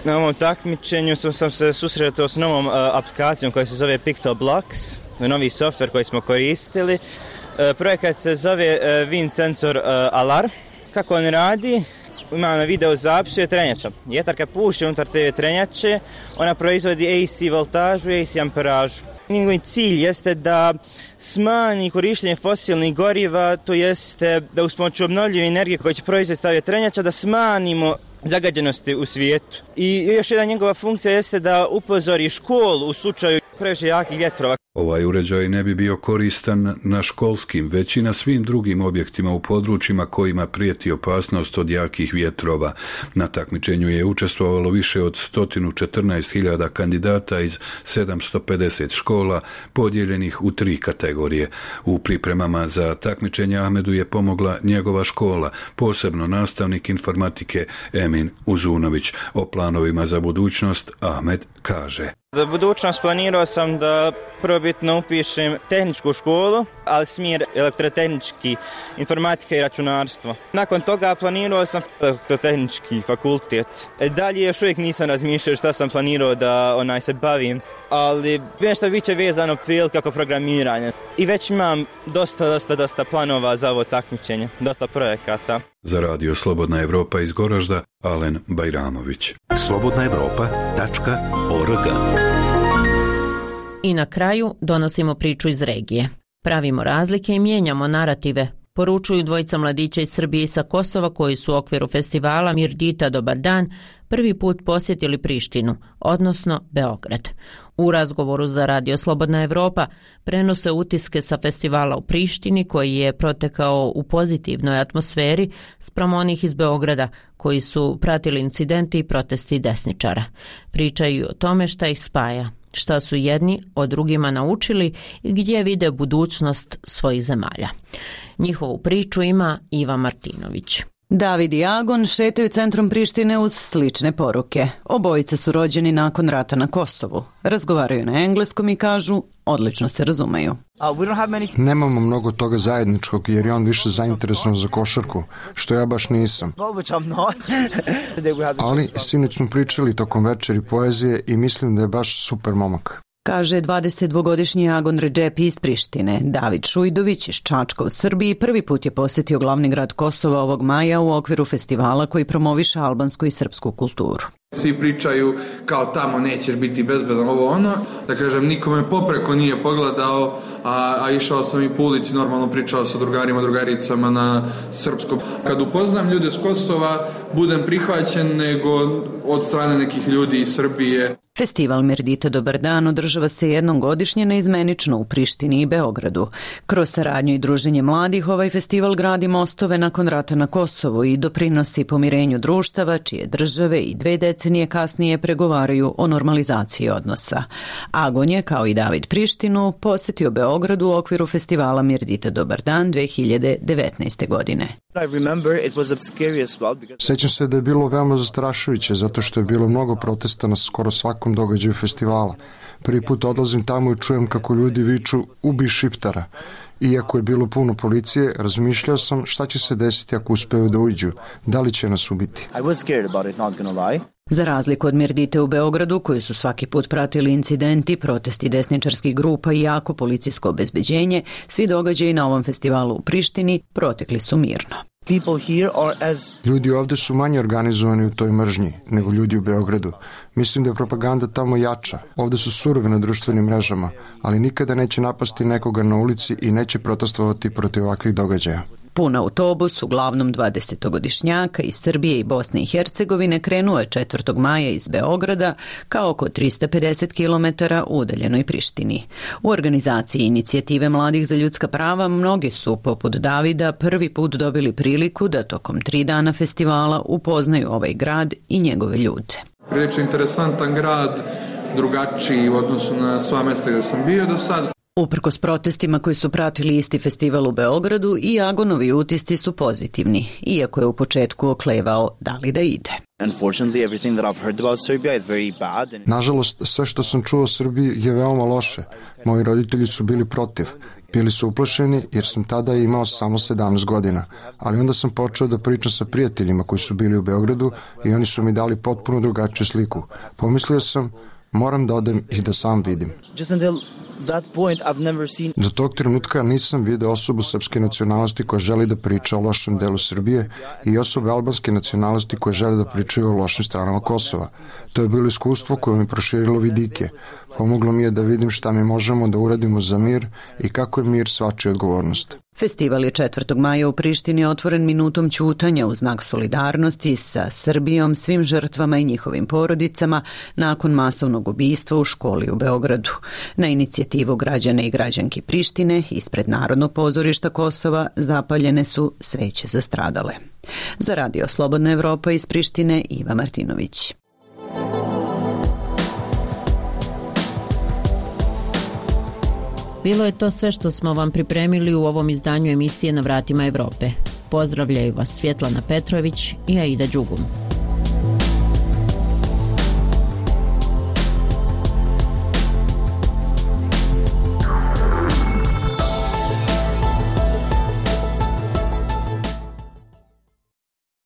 Na ovom takmičenju sam se susretao s novom aplikacijom koja se zove Pictoblocks, novi softver koji smo koristili. Projekat se zove Wind Sensor Alarm. Kako on radi? Ima na video zapisu je trenjača. Vjetar kad puše unutar te trenjače, ona proizvodi AC voltažu i AC amperažu. Njegov cilj jeste da smanji korištenje fosilnih goriva, to jeste da uz pomoću obnovljive energije koje će proizvesti vjetrenjača da smanjimo zagađenosti u svijetu. I još jedna njegova funkcija jeste da upozori školu u slučaju previše jakih vjetrova. Ovaj uređaj ne bi bio koristan na školskim, već i na svim drugim objektima u područjima kojima prijeti opasnost od jakih vjetrova. Na takmičenju je učestvovalo više od 114.000 kandidata iz 750 škola, podijeljenih u 3 kategorije. U pripremama za takmičenje Ahmedu je pomogla njegova škola, posebno nastavnik informatike Emin Uzunović. O planovima za budućnost Ahmed kaže: Za budućnost planirao sam da probitno upišem tehničku školu, ali smjer elektrotehnički, informatika i računarstvo. Nakon toga planirao sam elektrotehnički fakultet. Dalje još uvijek nisam razmišljao šta sam planirao da se bavim, ali nešto biće vezano prije kako programiranje. I već imam dosta planova za ovo takmičenje, dosta projekata. Za Radio Slobodna Evropa iz Goražda, Alen Bajramović. slobodnaevropa.org. I na kraju donosimo priču iz regije. Pravimo razlike i mijenjamo narative, poručuju dvojica mladića iz Srbije i sa Kosova koji su u okviru festivala Mirdita Dobar dan prvi put posjetili Prištinu, odnosno Beograd. U razgovoru za Radio Slobodna Evropa prenose utiske sa festivala u Prištini koji je protekao u pozitivnoj atmosferi spram onih iz Beograda koji su pratili incidenti i protesti desničara. Pričaju o tome šta ih spaja, šta su jedni od drugima naučili i gdje vide budućnost svojih zemalja. Njihovu priču ima Iva Martinović. David i Agon šetaju centrom Prištine uz slične poruke. Obojice su rođeni nakon rata na Kosovu. Razgovaraju na engleskom i kažu odlično se razumeju. Nemamo mnogo toga zajedničkog jer je on više zainteresovan za košarku, što ja baš nisam. Ali sinoć smo pričali tokom večeri poezije i mislim da je baš super momak. Kaže 22-godišnji Agon Redžepi iz Prištine. David Šujdović iz Čačka u Srbiji prvi put je posjetio glavni grad Kosova ovog maja u okviru festivala koji promoviše albansku i srpsku kulturu. Svi pričaju kao tamo nećeš biti bezbedan, ovo ono. Da kažem, nikome popreko nije pogledao, a išao sam i po ulici, normalno pričao sa drugarima, drugaricama na srpskom. Kad upoznam ljude s Kosova, budem prihvaćen nego od strane nekih ljudi iz Srbije. Festival Mirdita Dobar dan održava se jednom godišnje neizmenično u Prištini i Beogradu. Kroz saradnju i druženje mladih ovaj festival gradi mostove nakon rata na Kosovu i doprinosi pomirenju društava čije države i 2 decenije kasnije pregovaraju o normalizaciji odnosa. Agon je, kao i David Prištinu, posjetio Beogradu u okviru festivala Mirdita Dobar dan 2019. godine. Sećam se da je bilo veoma zastrašujuće zato što je bilo mnogo protesta na skoro svakom događaju festivala. Prvi put odlazim tamo i čujem kako ljudi viču ubi Šiptara. Iako je bilo puno policije, razmišljao sam šta će se desiti ako uspeju da uđu, da li će nas ubiti. Za razliku od Mirdite u Beogradu, koji su svaki put pratili incidenti, protesti desničarskih grupa i jako policijsko obezbeđenje, svi događaji na ovom festivalu u Prištini protekli su mirno. Ljudi ovde su manje organizovani u toj mržnji nego ljudi u Beogradu. Mislim da je propaganda tamo jača. Ovde su surovi na društvenim mrežama, ali nikada neće napasti nekoga na ulici i neće protestovati protiv ovakvih događaja. Pun autobus, uglavnom 20-godišnjaka iz Srbije i Bosne i Hercegovine, krenuo je 4. maja iz Beograda kao oko 350 km u udaljenoj Prištini. U organizaciji Inicijative mladih za ljudska prava mnogi su, poput Davida, prvi put dobili priliku da tokom 3 dana festivala upoznaju ovaj grad i njegove ljude. Prilično interesantan grad, drugačiji u odnosu na sva mesta gdje sam bio do sad. Uprkos protestima koji su pratili isti festival u Beogradu, i Agonovi utisci su pozitivni, iako je u početku oklevao da li da ide. Nažalost, sve što sam čuo o Srbiji je veoma loše. Moji roditelji su bili protiv. Bili su uplašeni jer sam tada imao samo 17 godina, ali onda sam počeo da pričam sa prijateljima koji su bili u Beogradu i oni su mi dali potpuno drugačiju sliku. Pomislio sam, moram da odem i da sam vidim. Do tog trenutka nisam video osobu srpske nacionalnosti koja želi da priča o lošem delu Srbije i osobe albanske nacionalnosti koje žele da pričaju o lošim stranama Kosova. To je bilo iskustvo koje mi proširilo vidike. Pomoglo mi je da vidim šta mi možemo da uradimo za mir i kako je mir svačija odgovornost. Festival je 4. maja u Prištini otvoren minutom ćutanja u znak solidarnosti sa Srbijom, svim žrtvama i njihovim porodicama nakon masovnog ubistva u školi u Beogradu. Na inicijativu građana i građanki Prištine ispred Narodnog pozorišta Kosova zapaljene su sveće za stradale. Za Radio Slobodna Evropa iz Prištine, Iva Martinović. Bilo je to sve što smo vam pripremili u ovom izdanju emisije Na vratima Evrope. Pozdravljaju vas Svjetlana Petrović i Aida Đugum.